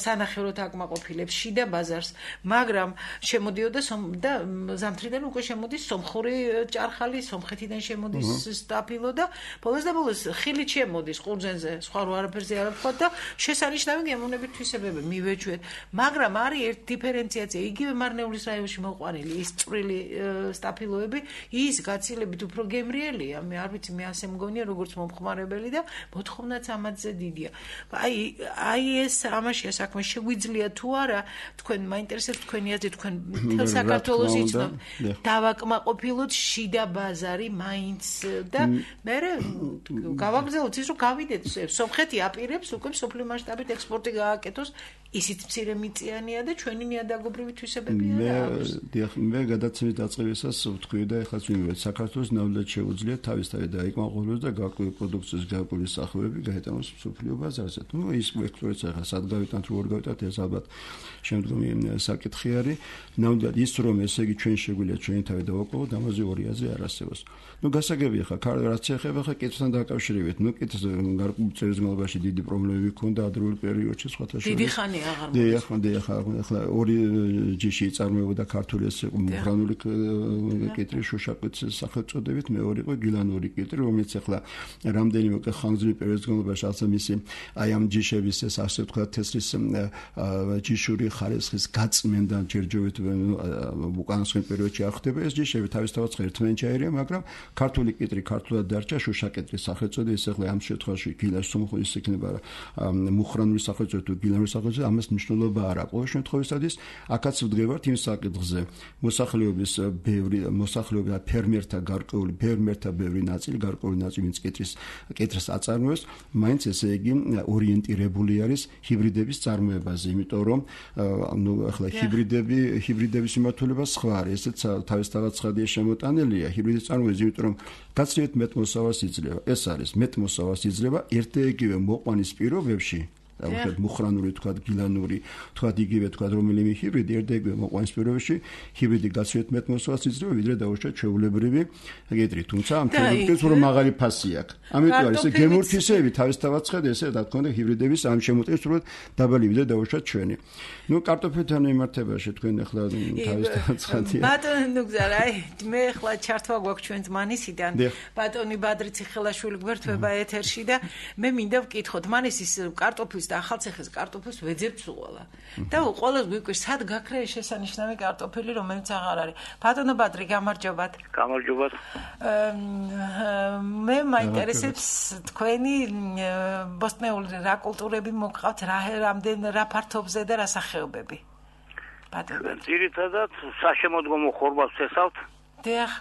სანახევროდ აკმაყოფილებს შიდა ბაზარს მაგრამ შემოდიოდა და ზამთრიდან უკვე შემოდის სომხური ჭარხალი სომხეთიდან შემოდის სტაფილო და ბოლოს ხილით შემოდის ყურძენზე სხვა არაფერზე არ ვთქვა და შესანიშნავი გემოვნებით თვისებები მივეჩვევთ მაგრამ არის ერთ დიფერენციაცია იგივე მარნეულის რაიონში მოყვანილი ის წვრილი სტაფილოები ის გაცილებით უფრო გემრიელია მე არ ვიცი მე ასე მგონია როგორც მომხმარებელი და მოთხოვნაც ამაზე დიდია აი ეს ამაშია საქმე შეგვიძლია თუ არა თქვენ მაინტერესებს თქვენი აზრი თქვენ მთელ საქართველოს იცნობ დავაკმაყოფილოთ შიდა ბაზარი მაინც და მე გავაგზავნოთ ის რომ გავიდეთ სომხეთი აპირებს უკვე სოფლიო მასშტაბით ექსპორტი გააკეთოს ისიც მცირე მიწიანია და ჩვენი ნიადაგობრივი თვისებებია მე გადაცემის დაწყებისას ვთქვი და ეხლა ვიმოვეთ საქართველოს ნამდვილად შეუძლია თავისთავად დაიკმაყოფილოს და გარკვეული პროდუქციის გარკვეული სახეობები გაეტანოს სოფლიო ბაზარზე ну ის ვექტორიც ახლა სად გავიტანთ როგორ გავიტანთ ეს ალბათ შემდგომი საკითხი არის ნამდვილად ის რომ ესე იგი ჩვენ შეგვიძლია ჩვენი თავი დავაკმაყოფილოთ ამაზე ორი აზრი არ არსებობს ну გასაგებია ხა რაც ეხება ხა კითხთან დაკავშირებით ну კითხს გარკვეული წელს განმავლობაში დიდი პრობლემები ჰქონდა ადრეულ პერიოდში სხვათა შორის დიდი ხანი აღარ ახლა ორი ჯიში წარმოებოდა ქართული ეს მუხრანული კიტრი შუშაკიც სახელწოდებით მეორე იყო გილანური კიტრი რომელიც ახლა რამდენიმე ხანგრძლივი პერიოდის განმავლობაში ასე მისი აი ამ ჯიშების ეს ასე ვთქვათ თესლის ჯიშური ხარისხის გაწმენდა ჯერჯერობით უკანასკნელ პერიოდში არ ხდება ეს ჯიშები თავისთავად ერთმანეთშია მაგრამ ქართული კიტრი ქართულად დარჩა შუშაკიტრის სახელწოდი ეს ახლა ამ შემთხვევაში გილას სომხური იქნება მუხრანული სახელწოდი თუ გილანური სახელწოდი ამას მნიშვნელობა არ აქვს ყოველ შემთხვევაში აქაც ვდგებართ იმ საკითხზე მოსახლეობის ფერმერთა ბევრი ნაწილი გარკვეული ნაწილი ვინც კიტრს აწარმოებს მაინც ესე იგი ორიენტირებული არის ჰიბრიდების წარმოებაზე იმიტომ რომ ნუ ახლა ჰიბრიდების მიმართულება სხვა არის ესეც თავისთავად ცხადია შემოტანილია ჰიბრიდის წარმოებაზე იმიტომ რომ გაცილებით მეტ მოსავალს იძლევა ეს არის მეტ მოსავალს იძლევა ერთ-ერთი მოყვანის პირობებში დავუშვათ მუხრანური თქვათ გილანური თქვათ იგივე თქვათ რომელიმე ჰიბრიდი ერთ-ერთი მოყვანის პირობებში ჰიბრიდი გაცილებით მეტ მოსავალს იძლევა ვიდრე დავუშვათ ჩვეულებრივი კიტრი თუმცა ამ თემატიკას უფრო მაღალი ფასი აქვს ამიტომ არის გემურთისები თავისთავად ცხადია ესე რა თქმა უნდა ჰიბრიდების ამ შემოტევას უფრო დაბალი ვიდრე დავუშვათ ჩვენი ну კარტოფილთან მიმართებაში თქვენ ახლა თავისთავად ცხადია ბატონო გზარა მე ახლა ჩართვა გვაქვს ჩვენ მანისიდან ბატონი ბადრიცი ხელაშვილი გვერდება ეთერში და მე მინდა ვკითხოთ მანისის კარტოფილს და ახალციხის კარტოფილს ვეძებთ უყოლა და უყოლას გვიკვირს სად გაქრა ეს შესანიშნავი კარტოფილი რომელიც აღარ არის ბატონო ბადრი გამარჯობათ მე მაინტერესებს თქვენი ბოსტნეული რა კულტურები მოგყავთ რა ფართობზე და რა სახეობები ბატონო ძირითადად საშემოდგომო ხორბალს ვცესავთ დიახ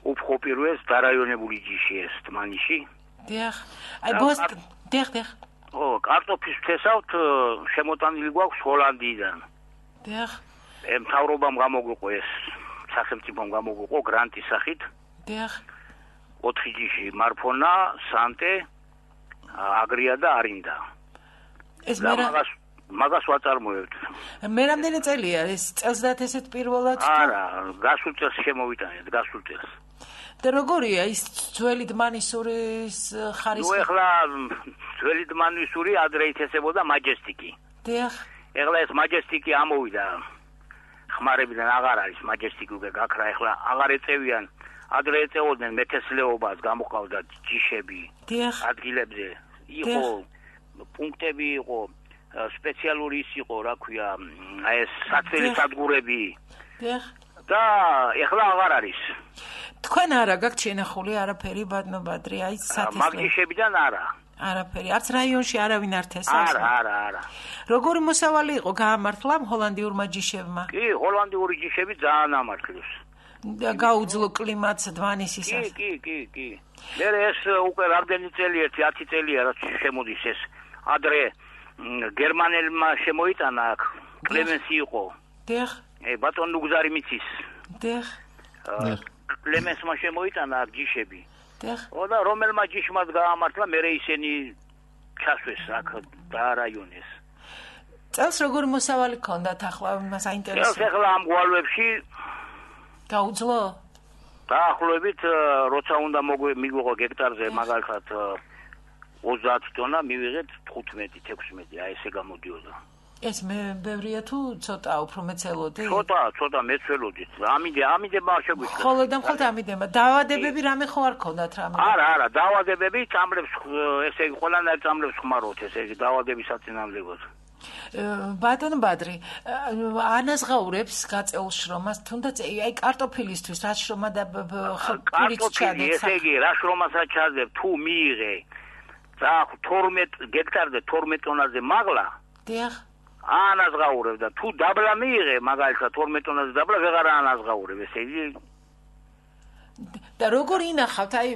უფრო პირველს დარაიონებული ჯიში ეს თმანიში დიახ აი ბოსტ დიახ კარტოფილს ვცესავთ შემოტანილი გვაქვს ჰოლანდიიდან დიახ მთავრობამ გამოგვიყო ეს სახელმწიფომ გამოგვიყო გრანტის სახით დიახ 4 ჯიში მარფონა სანტე აგრია და არინდა ეს მაგას ვაწარმოებთ მე რამდენი წელია ეს წელსდღე ესეთ პირველად არა გასულ წელს შემოვიტანეთ გასულ წელს და როგორია ის ძველი დმანისურის ხარისხი? ნუ ეხლა ძველი დმანისური ადრე ითესებოდა მაჯესტიკი. დიახ. ეხლა ეს მაჯესტიკი ამოვიდა. ხმარებიდან აღარ არის მაჯესტიკი უკვე გაქრა ეხლა აღარ ეწევიან. ადრე ეწეოდნენ მეთესლეობას გამოყავდა ჯიშები. დიახ. ადგილებზე. იყო პუნქტები იყო, სპეციალური ის იყო, რა ქვია, აი ეს საწველი სადგურები. და ეხლა აღარ არის. თქვენ არა გაქვთ შენახული არაფერი ბადნობადრი, აი სათესლე. მაგიშებიდან არა. არაფერი, არც რაიონში არავინ არ თესავს. არა. როგორი მოსავალი იყო გაამართლა ჰოლანდიურმა ჯიშებმა? კი, ჰოლანდიური ჯიშები ძალიან ამართლეს. გაუძლო კლიმატს დვანისისას. კი. მე ეს უკვე რამდენი წელი 10 წელია რაც შემოდის ეს. ადრე გერმანელმა შემოიტანა აქ კლემენსი იყო. დიახ. ბატონ ნუგზარი მიცის. დიახ. კლემენსმა შემოიტანა აქ ჯიშები. დიახ. და რომელმა ჯიშმაც გაამართლა, მე ისინი ჩასვეს აქ დაარაიონეს. წელს როგორი მოსავალი ქონდათ ახლა მას აინტერესებს? წელს ახლა ამ გვალვებში გაუძლო? დაახლოებით როცა უნდა მიგვიღო გექტარზე მაგალითად 30 ტონა, მივიღეთ 15-16, აი ესე გამოდიოდა. ეს მე ბევრია თუ ცოტა უფრო მეცელოდი? ცოტა მეცელოდით. ამიდება შეგვიძლია. ხოლო და მხოლოდ ამიდება. დაავადებები რამე ხო არ ქონდათ რამე? არა, დაავადებები წამლებს, ესე იგი ყველანაირ წამლებს ხმარობთ, ესე იგი დაავადების საწინააღმდეგოდ. ბატონ ბადრი, ანაზღაურებს გაწეულ შრომას, თუნდაც აი კარტოფილისთვის რა შრომა და ხულით ჩადეთ. ესე იგი, რა შრომასაც ჩაძებ, თუ მიიღე და 12 გექტარზე 12 ტონაზე მაგლა. დიახ. ანაზღაურებ და თუ დაბლა მიიღე, მაგალითად 12 ტონაზე დაბლა ვეღარ ანაზღაურებ, ესე იგი. და როგორ ინახავთ? აი,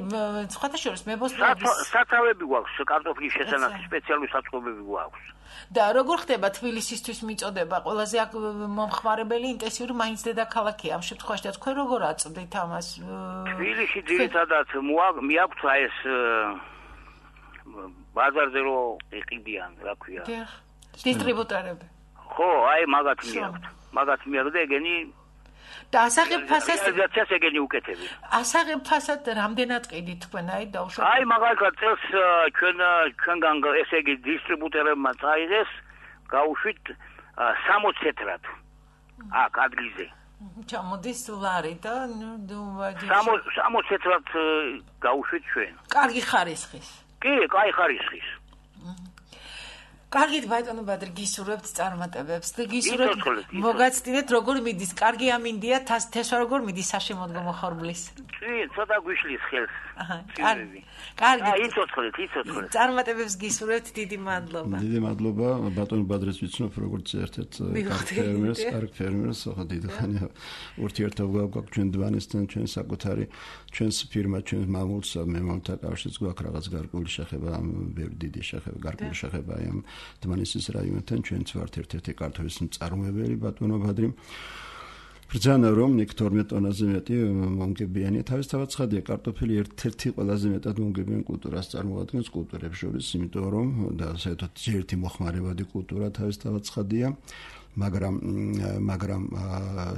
სხვათა შორის მებოსტნეობის სათავები გვაქვს, კარტოფილის შესანახი სპეციალური საწყობები გვაქვს. და როგორ ხდება თბილისისთვის მიწოდება? ყველაზე აქ მომხმარებელი ინტენსიური მაინც დედაქალაქია. ამ შემთხვევაში და თქვენ როგორ აწვდით ამას? თბილისში ძირითადად მიაქვთ აი ეს ბაზარზე რო იყიდიან, რა ქვია. დიახ. დისტრიბუტორები. ხო, აი მაგათ მიაქვთ და ეგენი და ასაღებ ფასად ეგენი უკეთები. ასაღებ ფასად რამდენად ყიდით თქვენ აი დაუშვათ? აი მაგალითად წელს ჩვენგან ესე იგი დისტრიბუტორებმა წაიღეს გაუშვით 60 ცეტრად აქ ადგილზე. ჩამოდის ლარი და 60 ცეტრად გაუშვით ჩვენ. კარგი ხარისხის. კი, კაი ხარისხის. კარგით ბატონო ბადრი გისურვებთ წარმატებებს და გისურვებთ მოგაცდინეთ როგორ მიდის კარგი ამინდია თესვა როგორ მიდის საშემოდგომო ხორბლის კი ცოტა გვიშლის ხელს კარგი იცოცხლეთ წარმატებებს გისურვებთ დიდი მადლობა ბატონო ბადრის ვიცნობ როგორც ერთ-ერთ კარგ ფერმერს ხო დიდი ხანია ურთიერთობა გვაქვს ჩვენ დვანისთან ჩვენ საკუთარი ჩვენს ფირმა ჩვენს მამულს მემამთა კავშირს გვაქვს რაღაც გარკვეული შეხება ამ ბევრი დიდი შეხება გარკვეული შეხება ამ დმანისის რაიონთან ჩვენც ვართ ერთ-ერთი კარტოფილის მწარმოებელი ბატონო ბადრი ბრძანა რომ იქ 12 ტონაზე მეტი მომგებიანი თავისთავად ცხადია კარტოფილი ერთ-ერთი ყველაზე მეტად მომგებიანი კულტურას წარმოადგენს კულტურებს შორის იმიტომ რომ და საერთოდ ერთი მოხმარებადი კულტურა თავისთავად ცხადია მაგრამ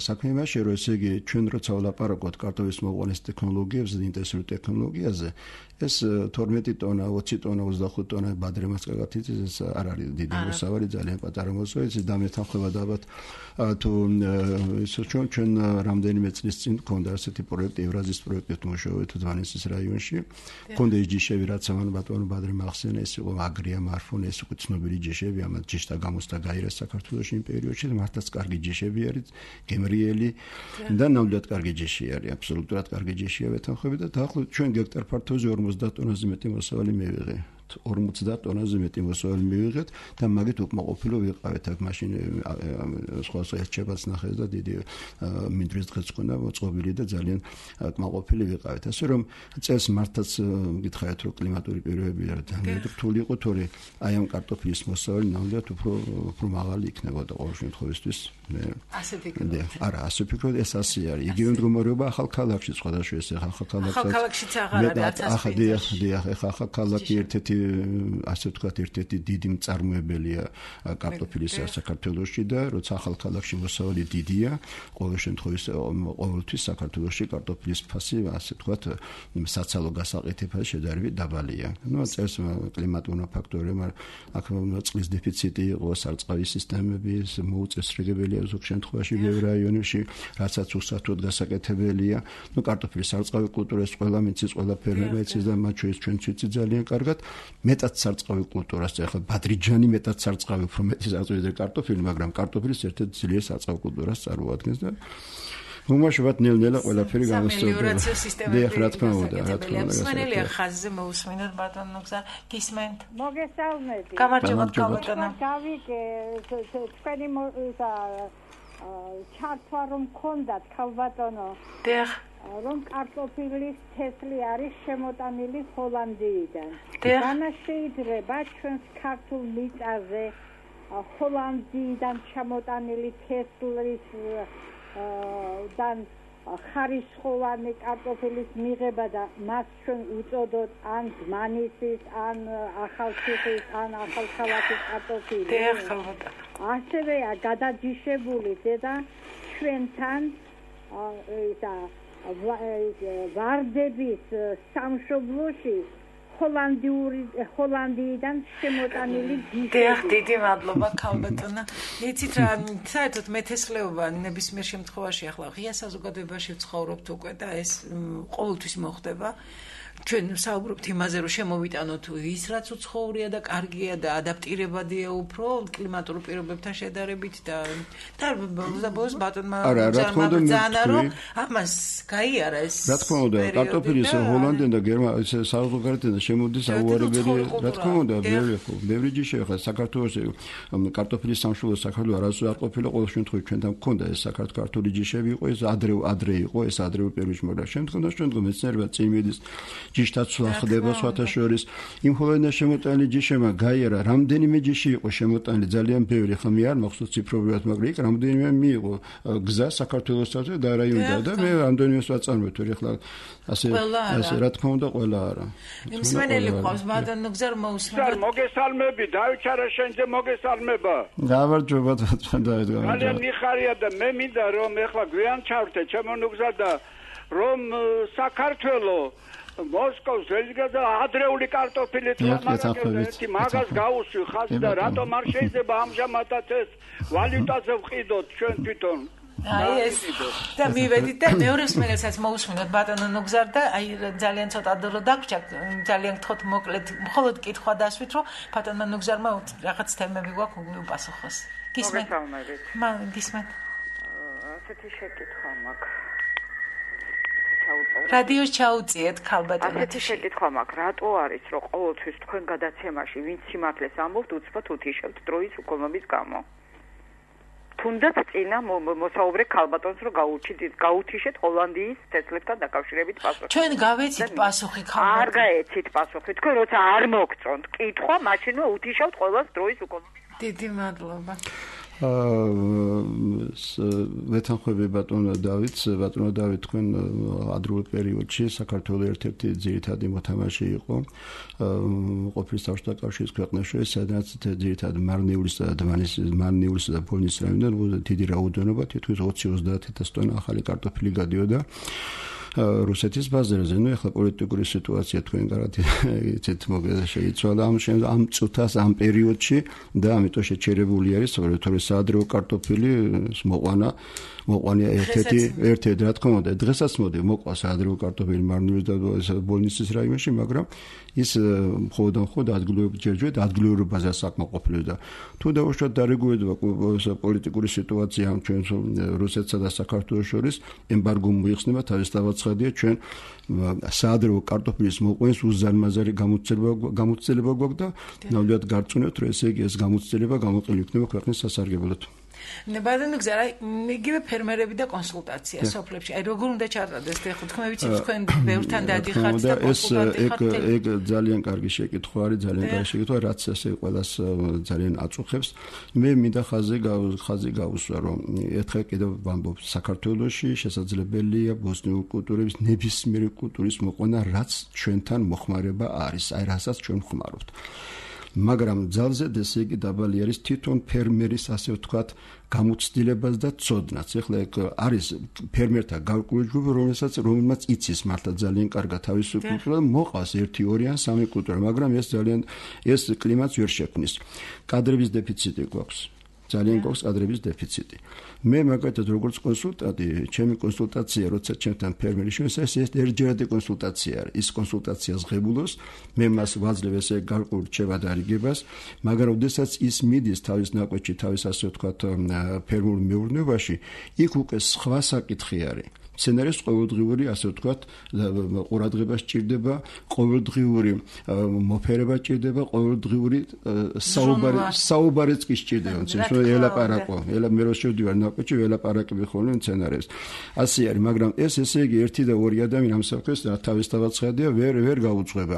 საქმე იმაში რომ ესე იგი ჩვენ როცა ვლაპარაკობთ კარტოფილის მოყვანის ტექნოლოგიებზე და ინტენსიურ ტექნოლოგიაზე ეს 12 ტონა 20 ტონა 25 ტონა ბადრემას კაკათიც ეს არ არის დიდი მოსავალი ძალიან პატარა მოსავალი ეს დამეთანხმება და ალბათ თუ ისე ჩვენ რამდენიმე წლის წინ გქონდა ასეთი პროექტი ევრაზიის პროექტით მუშაობთ დვანისის რაიონში გქონდა ჯიშები რაც ამან ბატონო ბადრე მახსენა ეს იყო აგრია მარფონი ეს უკვე ცნობილი ჯიშები ამათ ჯიშთა გამოსთა გაირეს საქართველოში იმ პერიოდში მართლაც კარგი ჯიშები არის გემრიელი და ნამდვილად კარგი ჯიში არის აბსოლუტურად კარგი ჯიშია ვეთანხმები და დაახლოებით ჩვენ გექტარ ფართოზე 50 ტონაზე მეტი მოსავალი მივიღე 50 ტონაზე მეტი მოსავალი მივიღეთ და მაგით უკმაყოფილო ვიყავით აქ მაშინ სხვა ერთშებაც ნახეს და დიდი მინდვრის დღეც ქონდა მოწყობილი და ძალიან უკმაყოფილი ვიყავით ასე რომ წელს მართლაც გითხარით რომ კლიმატური პირობები არის ძალიან რთული იყო თორე აი ამ კარტოფილის მოსავალი ნამდვილად უფრო მაღალი იქნებოდა ყოველ შემთხვევაში მე ასე ვფიქრობ არა ასე ვფიქრობ ეს ასე არის იგივე მდგომარეობა ახალ ქალაქში სხვადასხვა ეს ახალ ქალაქშიც აღარ არის დიახ ახალ ქალაქი ერთ-ერთი ასე ვთქვათ ერთ-ერთი დიდი მწარმოებელია კარტოფილის საქართველოში და როცა ახალ ქალაქში მოსავალი დიდია ყოველ შემთხვევაში ყოველთვის საქართველოში კარტოფილის ფასი ასე ვთქვათ საცალო გასაყიდფასი შედარებით დაბალია ну წელს კლიმატური ფაქტორები აქ წყლის დეფიციტი იყო სარწყავის სისტემები მოუწესრიგებელია ზოგ შემთხვევაში ბევრ რაიონებში რასაც უსათოდ გასაკეთებელია ну კარტოფილის სარწყავი კულტურას ყველა მიცის ყველა ფერმერი იცის და მათ შორის ჩვენც ვიცით ძალიან კარგად მეტად სარწყავი კულტურას, ახლა ბადრიჯანი მეტად სარწყავი, უფრო მეტი სარწყავი ვიდრე კარტოფილი, მაგრამ კარტოფილის ერთ-ერთი ძლიერ სარწყავ კულტურას წარმოადგენს და უმაშობად ნელ-ნელა ყველაფერი გამოსწორდება. დიახ, რა თქმა უნდა. მსმენელია ხაზზე მოусმინოთ ბატონო გზა გისმენთ. მოგესალმებით. გამარჯობა ბატონო. გავიგე თქვენი ჩართვა რომ გქონდათ ხალბატონო. დიახ. რომ კარტოფილის თესლი არის შემოტანილი ჰოლანდიიდან. განა შეიძლება ჩვენს ქართულ მიწაზე ჰოლანდიიდან შემოტანილი თესლის დან ხარისხოვანი კარტოფილის მიღება და მას ჩვენ უწოდოთ ან დმანისის, ან ახალციხის, ან ახალქალაქის კარტოფილი. ასევეა გადაჯიშებული ზედა ჩვენთან ვარდების სამშობლოში ჰოლანდიიდან შემოტანილი ჯიშები. დიდი მადლობა ქალბატონო. იცით რა, საერთოდ მეთესლეობა ნებისმიერ შემთხვევაში ახლა ღია საზოგადოებაში ვცხოვრობთ უკვე და ეს ყოველთვის მოხდება. ჩვენ საუბრობთ იმაზე, რომ შემოვიტანოთ ის რაც უცხოვრია და კარგია და ადაპტირებადია უფრო კლიმატურ პირობებთან შედარებით და ბოლოს ბატონმა ზანა რომ ამას გაიარა ეს. რა თქმა უნდა, კარტოფილის ჰოლანდიიდან და გერმანიაში საზოგადოებიდან შემოდის აუარებელი, რა თქმა უნდა, ბევრი ჯიში ახლა საქართველოს კარტოფილის სამშობლო საქართველოს არასდროს არ ყოფილა ყოველ შემთხვევაში ჩვენთან გქონდა ეს საქართველოს ჯიშები იყო ეს ადრე იყო ეს ადრეულ პერიოდში მაგრამ შემდგომ მეცნიერება წინ მიდის ჯიშთაცვა ხდება სხვათა შორის იმ ჰოლანდიაში შემოტანილი ჯიშებმა გაიარა რამდენიმე ჯიში იყო შემოტანილი ძალიან ბევრი ხა მე არ მახსოვს ციფრობრივად მაგრამ იქ რამდენიმე მიიღო გზა საქართველოსთან და რაიონიდან და მე რამდენიმეს ვაწარმოეთ ახლა ასე რა თქმა უნდა ყველა არა მსმენელი ყავს ბატონო გზა მოусმინოთ მოგესალმები დაიჩარა შენზე მოგესალმება გამარჯობა დავით ძალიან მიხარია და მე მინდა რომ ახლა გვიან ჩავრთე ჩემო ნუგზა და რომ საქართველოს მოსკოვს ველიგადა ადრეული კარტოფილი მაგას გაუსვი ხაზი და რატომ არ შეიძლება ამჟამადაც ეს ვალუტაზე ვყიდოთ ჩვენ თვითონ აი ეს და მივედით და მეორე მსმენელსაც მოусმინოთ ბატონო ნუგზარ და აი ძალიან ცოტა დრო დაგვრჩა ძალიან გთხოვთ მოკლედ მხოლოდ კითხვა დასვით რომ ბატონო ნუგზარმა რაღაც თემები გვაქვს უპასუხოს გისმენთ გისმენთ ასეთი შეკითხვა მაქვს რადიოს ჩაუწიეთ ქალბატონო. ასეთი შეკითხვა მაქვს, რატო არის რომ ყოველთვის თქვენ გადაცემაში ვინც სიმართლეს ამბობთ, უცბად უთიშებთ დროის უკოლმობის გამო? თუნდაც წინა მოსაუბრე ქალბატონს რომ გაუთიშეთ ჰოლანდიის თესლებთან დაკავშირებით პასუხი. ჩვენ გავეცით პასუხი ქალბატონო. არ გაეცით პასუხი. თქვენ როცა არ მოგწონთ კითხვა, მაშინვე უთიშავთ ყოველს დროის უკოლმობის. დიდი მადლობა. ვეთანხმები ბატონო დავით თქვენ ადრეულ პერიოდში საქართველოს ერთ-ერთი ძირითადი მოთამაშე იყო ყოფილი საბჭოთა კავშირის ქვეყნებში სადაც ძირითადად მარნეულის და ბოლნის რაიონიდან დიდი რაოდენობა თითქმის 20-30,000 ტონა ახალი კარტოფილი გადიოდა რუსეთის ბაზარზე. ნუ ახლა პოლიტიკური სიტუაცია თქვენ გარანტიით შეიცვალა ამ წუთას ამ პერიოდში და ამიტომ შეჩერებული არის თორე საადრეო კარტოფილი მოყვანია ერთ-ერთი რა თქმა უნდა დღესაც მოდი მოყვა საადრეო კარტოფილი მარნეულის და ბოლნისის რაიონში მაგრამ ის მხოლოდ ადგილობრივ ბაზას საკმაყოფილებს და თუ დავუშვათ დარეგულირება პოლიტიკური სიტუაცია ამ ჩვენ რუსეთსა და საქართველოს შორის ემბარგო მოიხსნება თავისთავადია ჩვენ საადრეო კარტოფილის მოყვანის უზარმაზარი გამოცდილება გვაქვს და ნამდვილად გარწმუნებთ რომ ესე იგი ეს გამოცდილება გამოყენებული იქნება ქვეყნის სასარგებლოდ. ბატონო გზა იგივე ფერმერები და კონსულტაცია სოფლებში. აი როგორ უნდა ჩატარდეს ხო თქვენ ვიცით თქვენ ბევრთან დადიხართ და კონსულტანტი ხართ. ეგ ძალიან კარგი შეკითხვა არის, ძალიან კარგი შეკითხვა, რაც ესე ყველას ძალიან აწუხებს. მე მინდა ხაზი გავუსვა, რომ ერთხელ კიდევ ვამბობ, საქართველოში შესაძლებელია ბოსნიური კულტურების ნებისმიერი კულტურის მოყვანა, რაც ჩვენთან მოხმარება არის, აი რასაც ჩვენ ხმარობთ. მაგრამ ძალზე ესე იგი დაბალი არის თვითონ ფერმერის ასე ვთქვათ გამოცდილებას და ცოდნას. ეხლა არის ფერმერთა გარკვეული ჯგუფი, რომელმაც იცის მართლა ძალიან კარგად თავისი კულტურა და მოყავს 1, 2 ან 3 კულტურა, მაგრამ ეს კლიმატს ვერ შექმნის. კადრების დეფიციტი გვაქვს. ძალიან გვაქვს კადრების დეფიციტი. მე მაგათაც როგორც კონსულტანტი, ჩემი კონსულტაცია, როცა ჩემთან ფერმერი შევსეს, ეს ერთჯერადი კონსულტაცია არის. ის კონსულტაცია ზღებულოს, მე მას ვაძლევ ესე გარკვეულ რჩევად არიგებას, მაგრამ ოდესაც ის მიდის თავის ნაკვეთში, თავის ასე ვთქვათ, ფერმულ მეურნეობაში, იქ უკვე სხვა საკითხი არის. სცენარის ყოველდღიური, ასე ვთქვათ, ყურადღება სჭირდება, ყოველდღიური მოფერება სჭირდება, ყოველდღიური საუბარიც კი სჭირდება, თუმცა ელაპარაკო, მე რო შევდივარ ნაკვეთში, ველაპარაკები ხოლმე სცენარებს. ასე არის, მაგრამ ესე იგი 1 და 2 ადამიანი ამ საფრთხეს თავისთავად ხედია, ვერ გაუძღვება.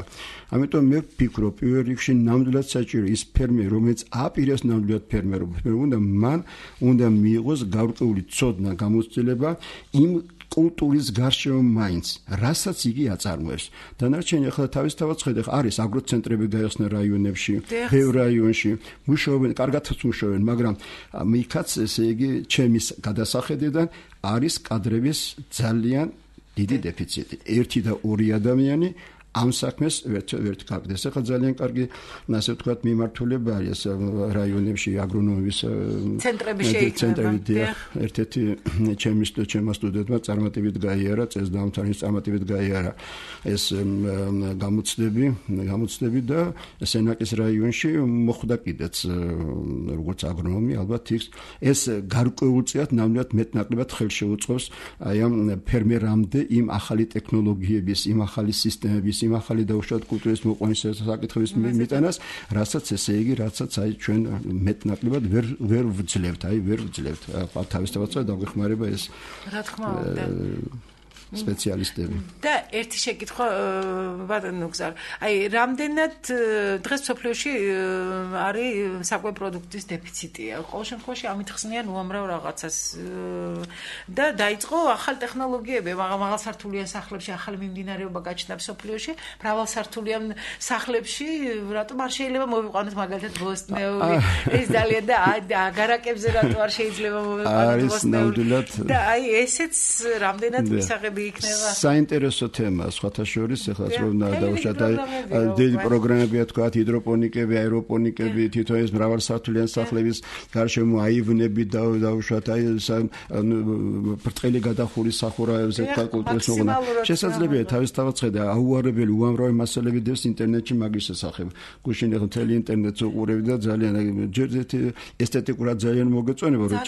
ამიტომ მე ვფიქრობ, პირველ რიგში ნამდვილად საჭირო ის ფერმერი, რომელიც აპირებს ნამდვილად ფერმერობა, მან უნდა მიიღოს გარკვეული ცოდნა, გამოცდილება იმ კულტურის გარშემო მაინც, რასაც იგი აწარმოებს. დანარჩენი ახლა თავისთავად ხედავ, არის აგროცენტრები გაიხსნა რაიონებში, ბევრ რაიონში, მუშაობენ, კარგადაც მუშაობენ, მაგრამ მიქაც ესე იგი ჩემის გადასახედიდან არის კადრების ძალიან დიდი დეფიციტი. 1 და 2 ადამიანი ამ საქმეს ვერ გაგდეს. ახლა ძალიან კარგი, ასე ვთქვათ, მიმართულება არის რაიონებში აგრონომიის ცენტრები. ერთ-ერთი ჩემმა სტუდენტმა წარმატებით გაიარა, წესდამთავრის წარმატებით გაიარა ეს გამოცდები და სენაკის რაიონში მოხვდა კიდეც როგორც აგრონომი, ალბათ ეს გარკვეულწილად ნამდვილად მეტნაკლებად ხელშეუწყობს აი ამ ფერმერამდე იმ ახალი ტექნოლოგიების, იმ ახალი სისტემების, იმ ახალი დაუშვათ კულტურის მოყვანის საკითხების მიტანას, რასაც ესე იგი, რასაც აი ჩვენ მეტნაკლებად ვერ ვძლევთ, თავისთავად დაგვეხმარება ეს რა თქმა უნდა სპეციალისტები. და ერთი შეკითხვა ბატონო გზარ. აი, რამდენად დღეს სოფლიოში არის საკვე პროდუქტის დეფიციტია? ყოველ შემთხვევაში ამით ხსნიან უამრავ რაღაცას. და დაიწყო ახალ ტექნოლოგიები, მაღალსართულიან სახლებში ახალი მიმდინარეობა გაჩნდა სოფლიოში, მრავალსართულიან სახლებში, რატომ არ შეიძლება მოვიყვანოთ მაგალითად ბოსტნეული? ეს ძალიან და აგარაკებზე რატომ არ შეიძლება მოვიყვანოთ ბოსტნეული? და აი, ესეც რამდენად მისაღები იქნება. საინტერესო თემაა, სხვათა შორის, ეხლა რომ დავუშვათ დიდი პროგრამებია, თქვა ჰიდროპონიკები, აეროპონიკები, თვითონ ეს მრავალსართულიან სახლების გარშემო აივნები დავუშვათ, ბრტყელი გადახური სახურავებზე კულტურის მოყვანა. შესაძლებელია თავისთავად ხედა აუარებელი უამრავი მასალები დევს ინტერნეტში მაგის შესახებ. გუშინ ეხლა მთელი ინტერნეტს უყურები და ძალიან ესთეტიკურად ძალიან მოგეწონება რომ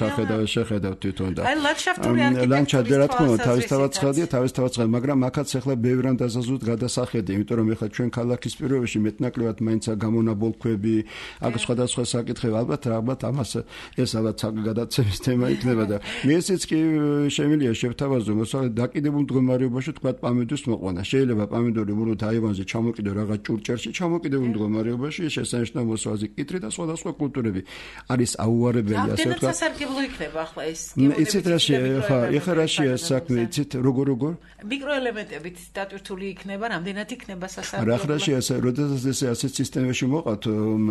შეხედავ თვითონ და აი ლანდშაფტური არქიტექტურის რა თქმა უნდა თავისთავად ხედავ, მაგრამ აქაც ახლა ბევრან დასაზუსტ გადასახედი, იმიტომ რომ ახლა ჩვენ ქალაქის პირობებში მეტნაკლებად მაინც გამონაბოლქვები, აქ სხვადასხვა საკითხები, ალბათ ამას ეს ალბათ გადაცემის თემა იქნება და ესეც კი შემიძლია შევთავაზო, მოსალ დაკიდებულ მდგომარეობაში თქვა პამიდორის მოყვანა. შეიძლება პამიდორი ბრუნოთ აივანზე ჩამოკიდო რაღაც ჭურჭელში, ჩამოკიდებულ მდგომარეობაში შესანიშნავ მოსავაზი კიტრი და სხვადასხვა კულტურები არის აუარებელი, ასე ვთქვათ. ამდენად სასარგებლო იქნება ახლა ეს. იცით რა შეეხება საქმე, იცით როგორ მიკროელემენტებით დატვირთული იქნება, რამდენად იქნება სასარგებლო. რა როდესაც ესე ასეთ სისტემაში მოყავთ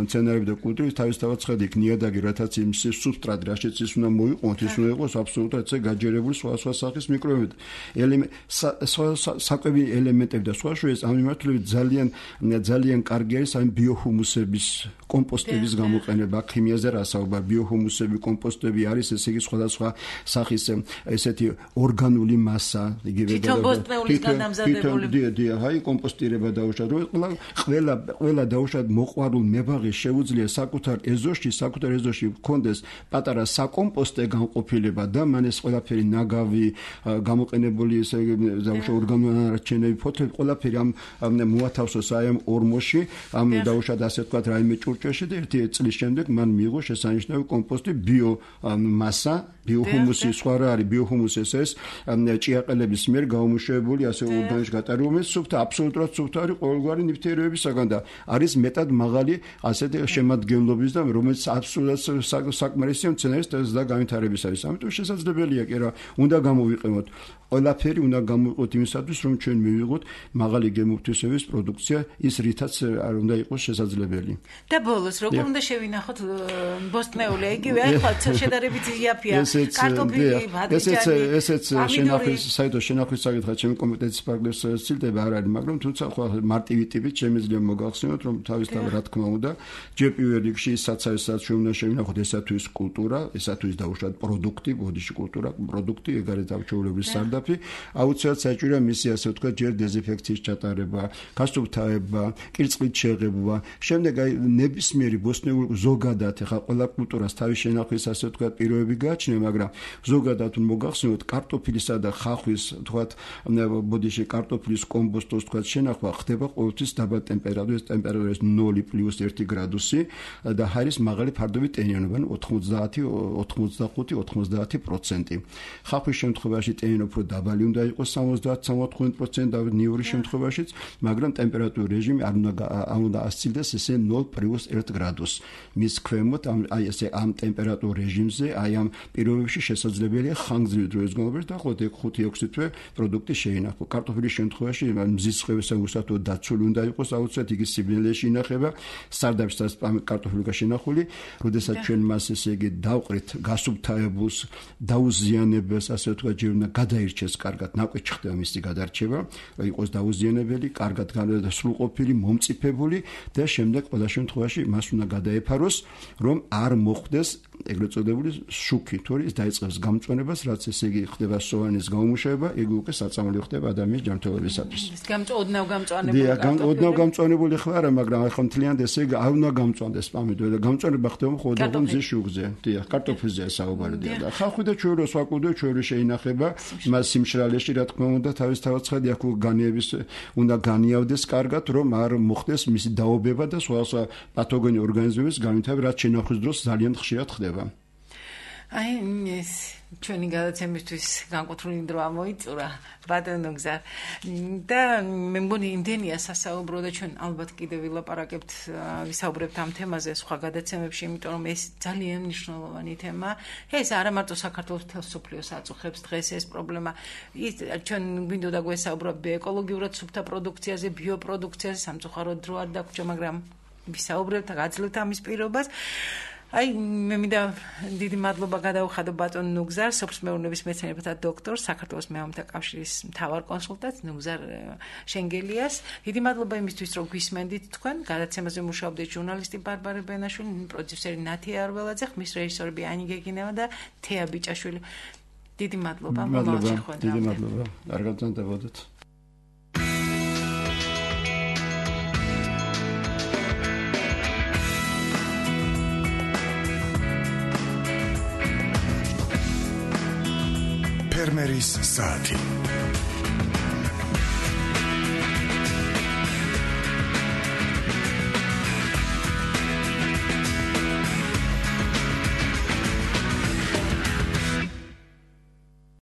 მცენარეები და კულტურის თავისთავად ხედი ნიადაგი, რათაც იმ სუბსტრატი რაშიც ის უნდა მოიყვანოთ, ის უნდა იყოს აბსოლუტურად ესე გაჯერებული სხვა სახის მიკროელემენტები. საკვები ელემენტები და სხვა შორის ამ მიმართულებით ძალიან კარგი არის ამ ბიოჰუმუსების კომპოსტების გამოყენება, ქიმიაზე რა საუბარ, ბიოჰუმუსები, კომპოსტები არის ესე იგი სხვადასხვა სახის ესეთი ორგანული მასა, იგივე აი კომპოსტირება დაუშვათ, რომ ყველა დაუშვათ მოყვარულ მებაღეს შეუძლია საკუთარ ეზოში მქონდეს პატარა საკომპოსტე განყოფილება და მან ეს ყველაფერი ნაგავი გამოყენებული ესე დაუშვათ ორგანული ანარჩენები ფოთლები ყველაფერი ამ მოათავსოს აი ამ ორმოში, ამ დაუშვათ ასე ვთქვათ რაიმე ჭურჭელში და ერთი წლის შემდეგ მან მიიღო შესანიშნავი კომპოსტი ბიომასა, ბიოჰუმუსი, სხვა რა არის ბიოჰუმუსი ეს ჭიაყელების მიერ გაუმუშავებული ასე ორგანიზმში გატარებული სუფთა, აბსოლუტურად სუფთა არის ყოველგვარი ნივთიერებებისაგან და არის მეტად მაღალი ასეთი შემადგენლობის და რომელიც აბსოლუტურად საკმარისია მცენარის და განვითარებისათვის. ამიტომ შესაძლებელია კი რა, უნდა გამოვიყენოთ ყველაფერი უნდა გამოვიყოთ იმისათვის, რომ ჩვენ მივიღოთ მაღალი გემოთვისების პროდუქცია, ის რითაც არ უნდა იყოს შესაძლებელი. და ბოლოს როგორ უნდა შევინახოთ ბოსტნეული, იგივე ახლა შედარებით იაფია, კარტოფილი, ბადრიჯანი. ესეც შენახვის საერთოდ შენახვის საკითხად ჩემი კომპეტენციის ფარგლებს ცილდება არ არის, მაგრამ თუმცა ხო მარტივი ტიპით შემიძლია მოგახსენოთ, რომ თავისთავად რა თქმა უნდა, ჯერ პირველ რიგში საცავესაც ჩვენ უნდა შევინახოთ ესა თუ ის კულტურა, ესა თუ ის დაუშვათ პროდუქტი, ბოდიში კულტურა, პროდუქტი, ეგ არის დაუჩვეულებრივი სარდაფი, აუცილებლად საჭიროა მისი ასე ვთქვათ, ჯერ დეზინფექციის ჩატარება, გასუფთავება, კირწყლით შეღებვა, შემდეგ აი ნებისმიერი ბოსტნეული ზოგადად ეხა ყველა კულტურას თავის შენახვის ასე ვთქვათ პირობები გააჩნია, მაგრამ ზოგადად მოგახსენოთ კარტოფილისა და ხახვის ვთქვათ ბოდიში კარტოფილის კომბოსტოს ვთქვათ შენახვა ხდება ყოველთვის დაბალ ტემპერატურაზე, ტემპერატურა 0+1 გრადუსი და ჰაერის მაღალი ფარდობი ტენიანობა 90-90% ხახვის შემთხვევაში ტენიანობა უფრო დაბალი უნდა იყოს 70-75% და ნიურის შემთხვევაშიც, მაგრამ ტემპერატურის რეჟიმი არ უნდა ასცილდეს ესე 0+1 გრადუსს. მის ქვემოთ აი ესე ამ ტემპერატურ რეჟიმზე აი ამ პირობებში შესაძლებელია ხანგრძლივი დროის განმავლობაში დაახლოებით 5-6 თვე პროდუქტი შეინახო. კარტოფილის შემთხვევაში მზის ხვევისა უსათო დაცული უნდა იყოს აუცილებლად იგი სიბნელეში ინახება, სარდაფშიც კარტოფილი გაშენახული, როდესაც ჩვენ მას ესე იგი დავყრით გასუფთავებულს, დაუზიანებელს, ასე ვთქვათ, ჯერ უნდა გადაირჩეს კარგად, ნაკვეთ ხდება მისი გადარჩება, იყოს დაუზიანებელი, კარგად სრულყოფილი, მომწიფებული და შემდეგ ყველა შემთხვევაში მას უნდა გადაეფაროს, რომ არ მოხდეს ეგრეთ წოდებული შუქი, თორე ის დაიწყებს გამწვანებას, რაც ესე იგი ხდება სოვანის გამომუშავება, ეგ უკვე საწამლი ხდება ადამიანის ჯანმრთელობისათვის. ოდნავ გამწვანებული. ოდნავ გამწვანებული ხო არა, მაგრამ ახლა მთლიანად ესე იგი არ უნდა გამწვანდეს პამიდორი და გამწვანება ხდება ხოდო მზის შუქზე. დიახ, კარტოფილზე საუბარი და ხალხი და ჩვეურო საკუდო ჩვეურო შეინახება მას სიმშრალეში, რა თქმა უნდა, თავისთავად ცხადი აქ განიების უნდა განიავდეს კარგად, რომ არ მოხდეს მისი დაობება და სხვა პათოგენი ორგანიზმების განვითარება, რაც შენახვის დროს ძალიან ხშირად ხდება. აი ეს ჩვენი გადაცემისთვის განკუთვნილი დრო ამოიწურა ბატონო გზა და მე მგონი იმდენია სასაუბრო და ჩვენ ალბათ კიდევ ვილაპარაკებთ ვისაუბრებთ ამ თემაზე სხვა გადაცემებში, იმიტომ რომ ეს ძალიან მნიშვნელოვანი თემა. ეს არა მარტო საქართველოს მთელ სოფლიოს აწუხებს დღეს ეს პრობლემა. ჩვენ გვინდოდა გვესაუბროთ ეკოლოგიურად სუფთა პროდუქციაზე, ბიოპროდუქციაზე, სამწუხაროდ დრო არ დაგვრჩა, მაგრამ ვისაუბრებთ და გაძლევთ ამის პირობას. აი მე მინდა დიდი მადლობა გადაუხადო ბატონ ნუგზარ, სოფლის მეურნეობის მეცნიერებათა დოქტორ, საქართველოს მეამთა კავშირის მთავარ კონსულტანტ ნუგზარ შენგელიას. დიდი მადლობა იმისთვის, რომ გვისმენდით თქვენ. გადაცემაზე მუშაობდით ჟურნალისტი ბარბარე ბენაშვილი, პროდიუსერი ნათია არველაძე, ხმის რეჟისორები ანი გეგინევა და თეა ბიჭაშვილი. დიდი მადლობა. დიდი მადლობა. არ გაგზავნებოდეთ. ფერმერის საათი